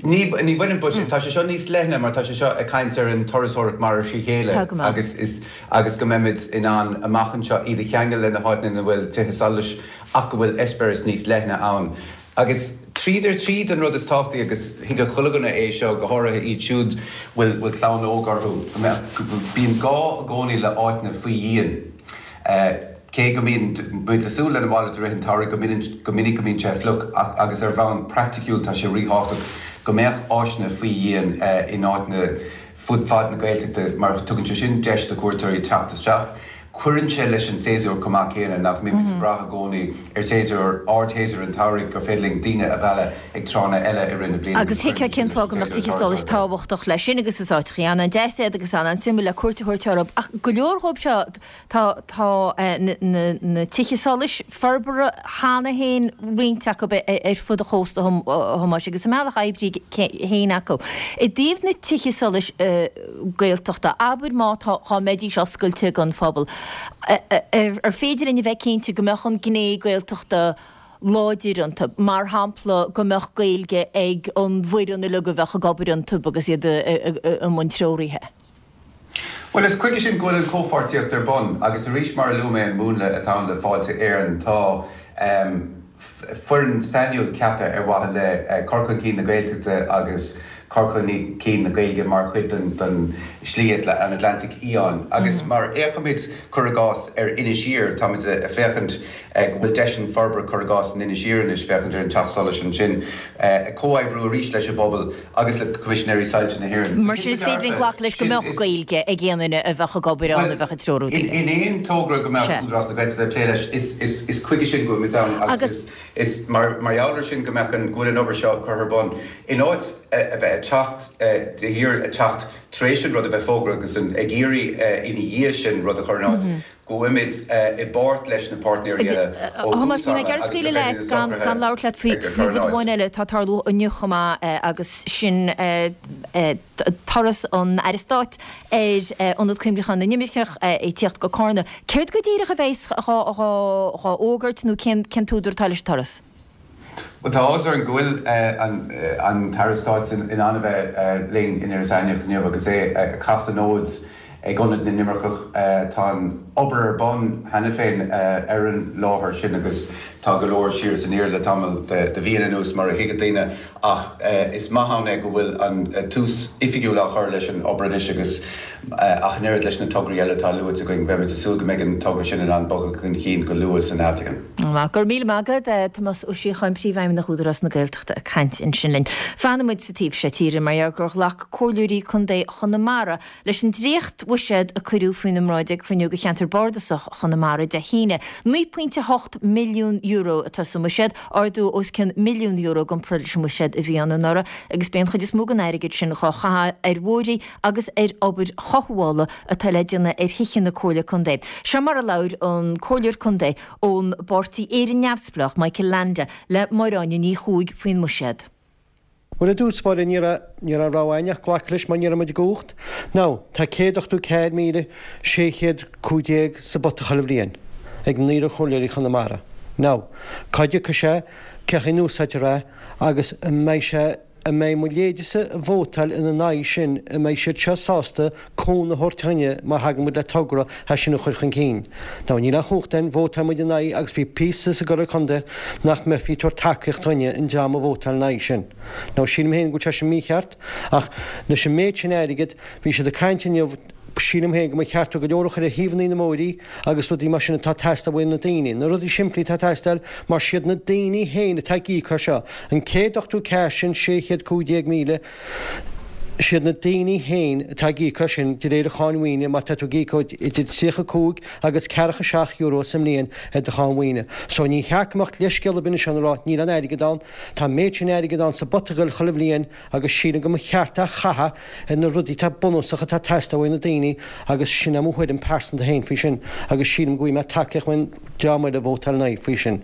Ní bhaineann, but tá sé seo níos leithne mar tá sé seo ag caint ar an turasóireacht mara trí chéile Tá go maith. agus is agus go mbeimid in ann amach anseo iad a cheangal le na háiteanna ina bhfuil tithe solais ach go bhfuil eispéireas níos leithne ann. Agus tríd ar tríd an rud is tábhachtaí agus thuigfeadh chuile dhuine é seo, go háirithe iad siúd bhfuil bhfuil clann óg orthu, go mbeadh go bíonn gá i gcónaí le áiteanna faoi dhíon. Cé go mbíonn muid ag súil lena mhalairt i rith an tsamhraidh, go minic go minic go mbíonn sé fliuch ach agus ar bhonn praiticiúil tá sé ríthábhachtach go mbeadh áiseanna faoi dhíon in áiteanna fud fad na Gaeltachta mar tugann sé sin deis do chuairteoirí teacht isteach. Cuireann sé leis an séasúr chomh maith céanna, nach mbímid ag brath i gcónaí ar shéasúr, ardshéasúr an tsamhraidh gur féidir linn daoine a mhealladh ag tráthanna eile i rith na bliana Agus agus thuigfeá cuireann sé cén sin leis fáth go an mbeadh séasúr tithe solais turasóireachta. tábhachtach leis sin agus is áiteachaí an-deas iad agus an-suimiúil le cuairt a thabhairt orthu ach go leor dhóibh seo Tá tá na tithe solais forbartha cheana féin, roinnt acu ar fud an chósta, a Thomáis, agus a mbealach oibre féin acu. I dtaobh na tithe solais Gaeltachta, abair má tá, dhá mbeidís oscailte don phobal, ar féidir linn a bheith cinnte go mbeadh an gné Gaeltachta láidir iontu, mar shampla go mbeadh Gaeilge ag an bhfoireann uilig a bheadh ag obair iontu agus iad i mbun treoraithe? Bhuel, is chuige sin go bhfuil an chomhpháirtíocht ar bun, agus arís, mar a luaigh mé, an múnla atá ann le Fáilte Éireann, tá foireann sainiúil ceaptha ar mhaithe le cur chun cinn na Gaeltachta agus cur chun cinn na Gaeilge mar chuid den Slí an Atlantaigh Fhiáin. Agus mar fhéachaimid, cuir i gcás, ar Inis Oírr, táimid ag féachaint go bhfuil deiseanna forbartha, cuir i gcás, in Inis Oírr anois, féachaint ar an teach solais ansin, ag comhoibriú arís leis an bpobal, agus le Coimisinéirí Soilse na hÉireann. Mar sin, is féidir linn glacadh leis go mbeadh Gaeilge ag aon duine a bheadh ag obair ann, a bheadh ag treorú daoine. In aon togra go mbeadh Údarás na Gaeltachta ag plé leis, is chuige sin go bhfuil muid ann agus is mar gheall air sin go mbeadh an, go bhfuil an obair seo curtha ar bun. In áit a bheith ag teacht de shíor, ag teacht tar éis an rud a bheith fógartha agus ag iarraidh ina dhiaidh sin rud a chur in áit, go bhfuilimid i bpáirt leis na páirtnéirí eile ó A Thomáis, thús níl mé ama ag iarraidh agus gur scaoileadh féidir leat na gan socruithe gan labhairt leat faoi a faoi chur in rud áit. amháin eile atá ag tarlú inniu chomh maith agus sin turas an Aire Stáit ar Ionad Cuimhneacháin na nImirceach ag tíocht go Cárna. Céard go díreach a bheas dhá fhógairt nó cén cén t-údar atá leis an turas? Bhuel, tá áthas orainn go bhfuil an tAire Stáit in ann a bheith linn in Iorras Aithneach inniu agus é ag casadh an fhóid ag Ionad na nImirceach. Tá an obair ar bun cheana féin ar an láthair sin agus tá go leor siar is aniar le tamall de mhíonna anuas, mar a thuigfidh daoine, ach is maith ann é go bhfuil an tús oifigiúil á chur leis an obair anois agus, ach an oiread leis na tograí eile atá luaite againn, beimid ag súil go mbeidh an togra sin in ann bogadh chun cinn go luath san athbhliain. Go raibh míle maith agat, Tomás Ó Síocháin, Príomhfheidhmeannach Údarás na Gaeltachta ag caint ansin linn. Fanfaidh muid sa taobh seo tíre mar gheall gur ghlac comhairleoirí contae Chonamara leis an dréacht-bhuiséad a cuireadh faoina mbráid ag cruinniú de cheantar bardasach Chonamara Dé hAoine. €9.8 milliún atá sa mbuiséad, ardú os cionn milliún euro i gcomparáid leis an mbuiséad a bhí ann anuraidh agus beidh an chuid is mó den airgead sin dhá chaitheamh ar bhóithrí agus ar obair chothabhála atá le déanamh ar thithe na Comhairle Contae. Seo mar a labhair an Comhairleoir Contae ón bpáirtí Éire Neamhspleách, Michael Leainde, le Máire Áine Ní Chuaig faoin mbuiséad. Bhuel, i dtús báire, ní raibh, ní raibh rogha againn ach glacadh leis mar ní raibh muid i gcumhacht. Now, tá 184,615 sa bpota chuile bhliain ag naonúr chomhairleoirí Chonamara. Now, cá dtiocfaidh sé, cén chaoi a n-úsáidtear é agus an mbeidh sé. An mbeidh mo leithéidese a vótáil ina n-aghaidh sin, an mbeidh siad seo sásta cúnamh a thabhairt dhuinne má thagann muid le togra é sin a chur chun cinn? Now níl aon chumhacht againn, vótáil muid ina aghaidh agus bhí píosa sa gComhairle Contae nach mbeifí ag tabhairt tacaíocht dhuinne an dream a vótáil ina aghaidh sin. Now sílim féin go bhfuil sé sin mícheart ach leis an méid sin airgid, bhí siad ag caint inniu, Sílim féin go mba cheart go leor a chur ar thaobhanna na mbóithrí agus rudaí mar sin atá ag teastáil uaidh na daoine. Na rudaí simplí atá ag teastáil mar siad na daoine féin atá ag íoc as seo. An 184 sin, 615,000, siad na daoine féin atá ag íoc as sin de réir an cháin mhaoine mar tá tú ag íoc idir 35 agus ceathracha €7 sa mbliain ar do cháin mhaoine. So ní cheart go mbeadh leithscéal ar bith anseo ag rá níl aon airgead ann. Tá an méid sin airgid ann sa bpota ag goil chuile bhliain agus sílim go mba cheart é a chaitheamh ar na rudaí atá bunúsach atá ag teastáil uaidh na daoine agus sin é mo thuairim pearsanta féin faoi sin agus sílim go bhfaighidh mé tacaíocht ón dream eile a vótáil in aghaidh faoi sin.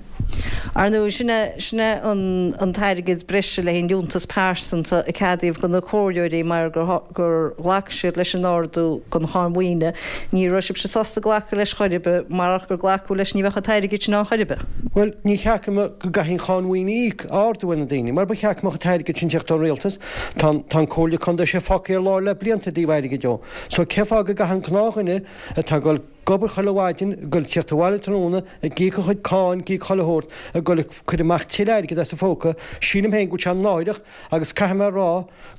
Ar ndóigh, sin é, sin é an, an t-airgead breise le haghaidh an liúntas pearsanta a ceadaíodh do na comhairleoirí mar gur, gur ghlac siad leis an ardú don cháin mhaoine. Ní raibh sibhse sásta glacadh leis chor ar bith, marach gur glacadh leis ní bheadh an t-airgead sin ann chor ar bith. Bhuel, ní cheart go mbeadh, go gcaithfidh an cháin mhaoine a íoc, a ardú ar na daoine, mar ba cheart go mbeadh an t-airgead sin ag teacht ón rialtas. Tá an, tá an Comhairle Contae sé fágtha ar lár le blianta i dtaobh airgid dó. So cé fáth go gcaithfidh an gnáthdhuine atá ag dul ag obair chuile mhaidin, ag dul tíocht abhaile tráthnóna, ag íoc a chuid cáin, ag íoc chuile shórt, ag dul ag cur amach tuilleadh airgid as a phóca, sílim féin go bhfuil sé náireach agus caithfidh mé a rá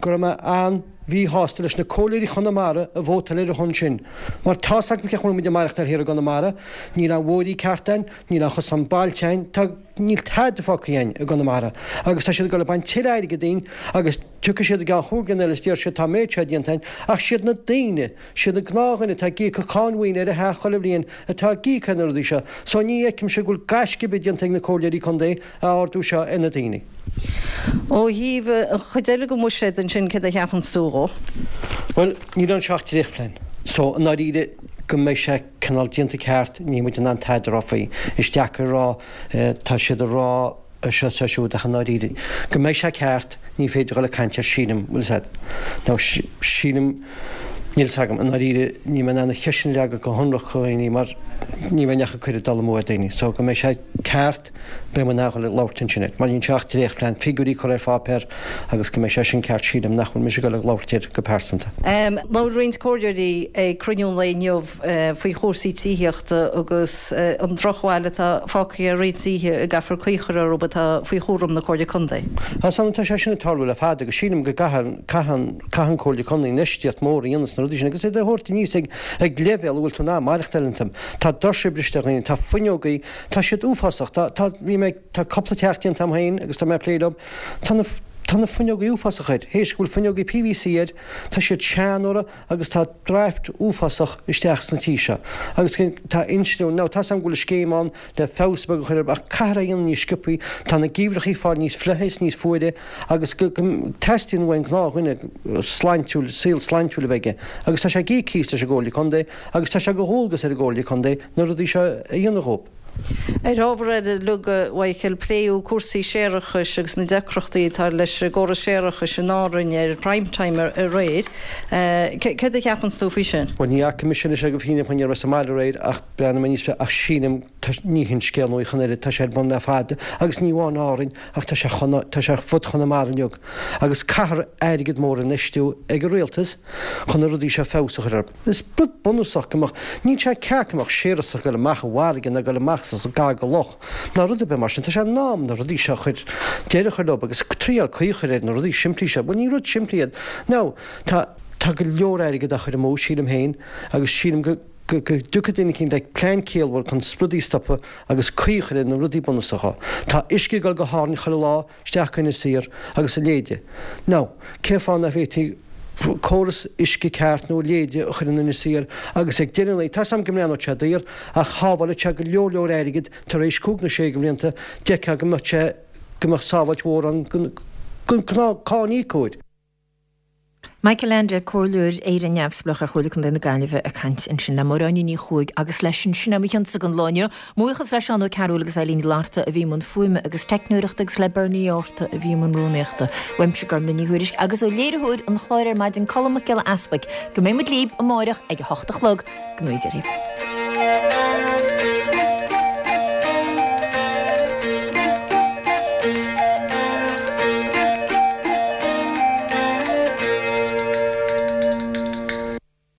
go raibh mé an-mhíshásta leis na comhairleoirí Chonamara a vótáil ar a shon sin. Mar tá's agam cén chaoi a bhfuil muid ag maireachtáil thiar i gConamara, níl aon bhóithrí ceart a'inn, níl aon chosán bailte a'inn, tá, níl tada fágtha a'inn i gConamara agus tá siad ag dul ag baint tuilleadh airgid dínn agus tiocfaidh siad i gceann chúig bliana eile is déarfaidh siad tá an méid seo déanta a'inn ach siad na daoine, siad an gnáthdhuine atá ag íoc cáin mhaoine ar a theach chuile bhliain atá ag íoc ar na rudaí seo. So ní fheicimse go bhfuil gaisce ar bith déanta ag na comhairleoirí contae a ardú seo ar na daoine. Ó thaobh an chuid eile den bhuiséad ansin, céard a cheapanns tú dhó? Bhuel, níl anseo ach dréachtphlean. So, i ndáiríre, go mbeidh sé cineál déanta ceart, níl muid in ann tada a rá faoi. Is deacair a rá, tá siad ag rá é seo is é siúd ach i ndáiríre, go mbeidh sé ceart, ní féidir dhul ag caint air sílim, bhfuil 'fhios a'd. Now, sílim, níl 'fhios agam, i ndáiríre, níl mé in ann an cheist sin a fhreagairt go hionraic do dhaoine mar ní bheinn ach ag cur ag dul amú ar daoine. So, go mbeidh sé ceart, Beidh muid in ann dhul ag labhairt ansin air. Mar níl anseo ach dréachtphlean, figiúirí curtha ar pháipéar agus go mbeidh sé sin ceart sílim nach bhfuil mise ag dul ag labhairt air go pearsanta. Labhair roinnt comhairleoirí ag cruinniú an lae inniu faoi chúrsaí tithíochta agus an drochbhail atá fágtha ar roinnt tithe a gcaithfear caoi a chur orthu atá faoi chúram na Comhairle Contae. Tá sé sin ag tarlú le fada agus sílim go gcaithfidh caithfidh an Comhairle Contae infheistíocht mór a dhéanamh sna rudaí sin agus iad a thabhairt aníos ag ag leibhéal a bhfuil tú in ann maireachtáil iontu. Tá doirse briste ar dhaoine, tá fuinneogaí Tá siad uafásach. Tá, tá, bhí mé, tá cúpla teach déanta agam féin agus tá mé ag plé leo. Tá na, tá na fuinneogaí uafásach air. Théis go bhfuil fuinneogaí PVC air, tá siad seanóra agus tá draft uafásach isteach sna tí seo. Agus tá insliú, now tá's agam go bhfuil scéim ann le feabhas beag a chur air ach caithfear é a dhéanamh níos sciobthaí. Tá na geimhreachaí ag fáil níos fliucha is níos fuaire agus go, go, teastaíonn uainn gnáthdhuine sláintiúil, saol sláintiúil a bheith aige. Agus tá sé ag íoc cíos leis an gComhairle Contae agus tá sé de dhualgas ar an gComhairle Contae na rudaí seo a dhéanamh dhób. Ar ábhar eile, a Mhichael, pléadh cúrsaí séarachais agus na deacrachtaí atá leis an gcóras séarachais in Árainn ar Prime Time aréir. Céard a cheapanns tú faoi sin? Bhuel, ní fhaca mise anois é go fírinneach mar ní rabhas sa mbaile aréir ach breathnaigh mé níos ach sílim, ní hin scéal nua chun oiread, tá sé ar bun le fada agus ní amháin Árainn ach tá sé tá sé ar fud Chonamara uilig agus caithfear airgead mór a infheistiú ag an rialtas chun na rudaí seo feabhas a chur orthu. Is rud bunúsach go mbeadh, níl sé ceart go mbeadh séarachas ag dul amach i bhfarraige ná ag dul amach sa gar go loch ná rud ar bith mar sin. Tá sé in am na rudaí seo a chur, deireadh a chur leo agus triail caoi a chur ar na rudaí simplí seo. Bhuel ní rud simplí iad. Now, tá, tá go leor airgid á chur amú, sílim féin, agus sílim go, go, go dtiocfaidh duine eicínt le plean ciallmhar chun rudaí a stopadh agus caoi a chur ar na rudaí bunúsacha. Tá uisce ag dul go hÁrainn chuile lá, isteach go Inis Oírr agus a leithéide. Now, cén fáth nach bhféadfaí córas uisce ceart nó a leithéide a chur in Inis Oírr agus ag deireadh an lae, tá's agam go mbreathnódh sé daor ach shábhálfadh sé go leor leor airgid tar éis cúig nó sé de bhlianta, d'fheicfeá go mbeadh sé, go mbeadh sábháilt mhór ann don ghnáth-cáiníocóir. Michael Leainde, Comhairleoir Éire Neamhspleách ar Chomhairle Contae na Gaillimhe ag caint ansin le Máire Áine Ní Chuaig agus leis sin, sin é mo chionsa don lá inniu. Mo bhuíochas le Seán Ó Cearúil agus Eileen Ní Fhlatharta a bhí i mbun fuaime agus teicneoireachta agus le Bernie Arta a bhí i mbun rúnaíochta. Uaimse Gormlaith Ní Thuairisg agus ó léiritheoir an chláir ar maidin Colm Mac Giolla Easpaig go mbeidh muid libh amáireach ag a hocht a chlog. Go ngnóthaí Dia dhaoibh.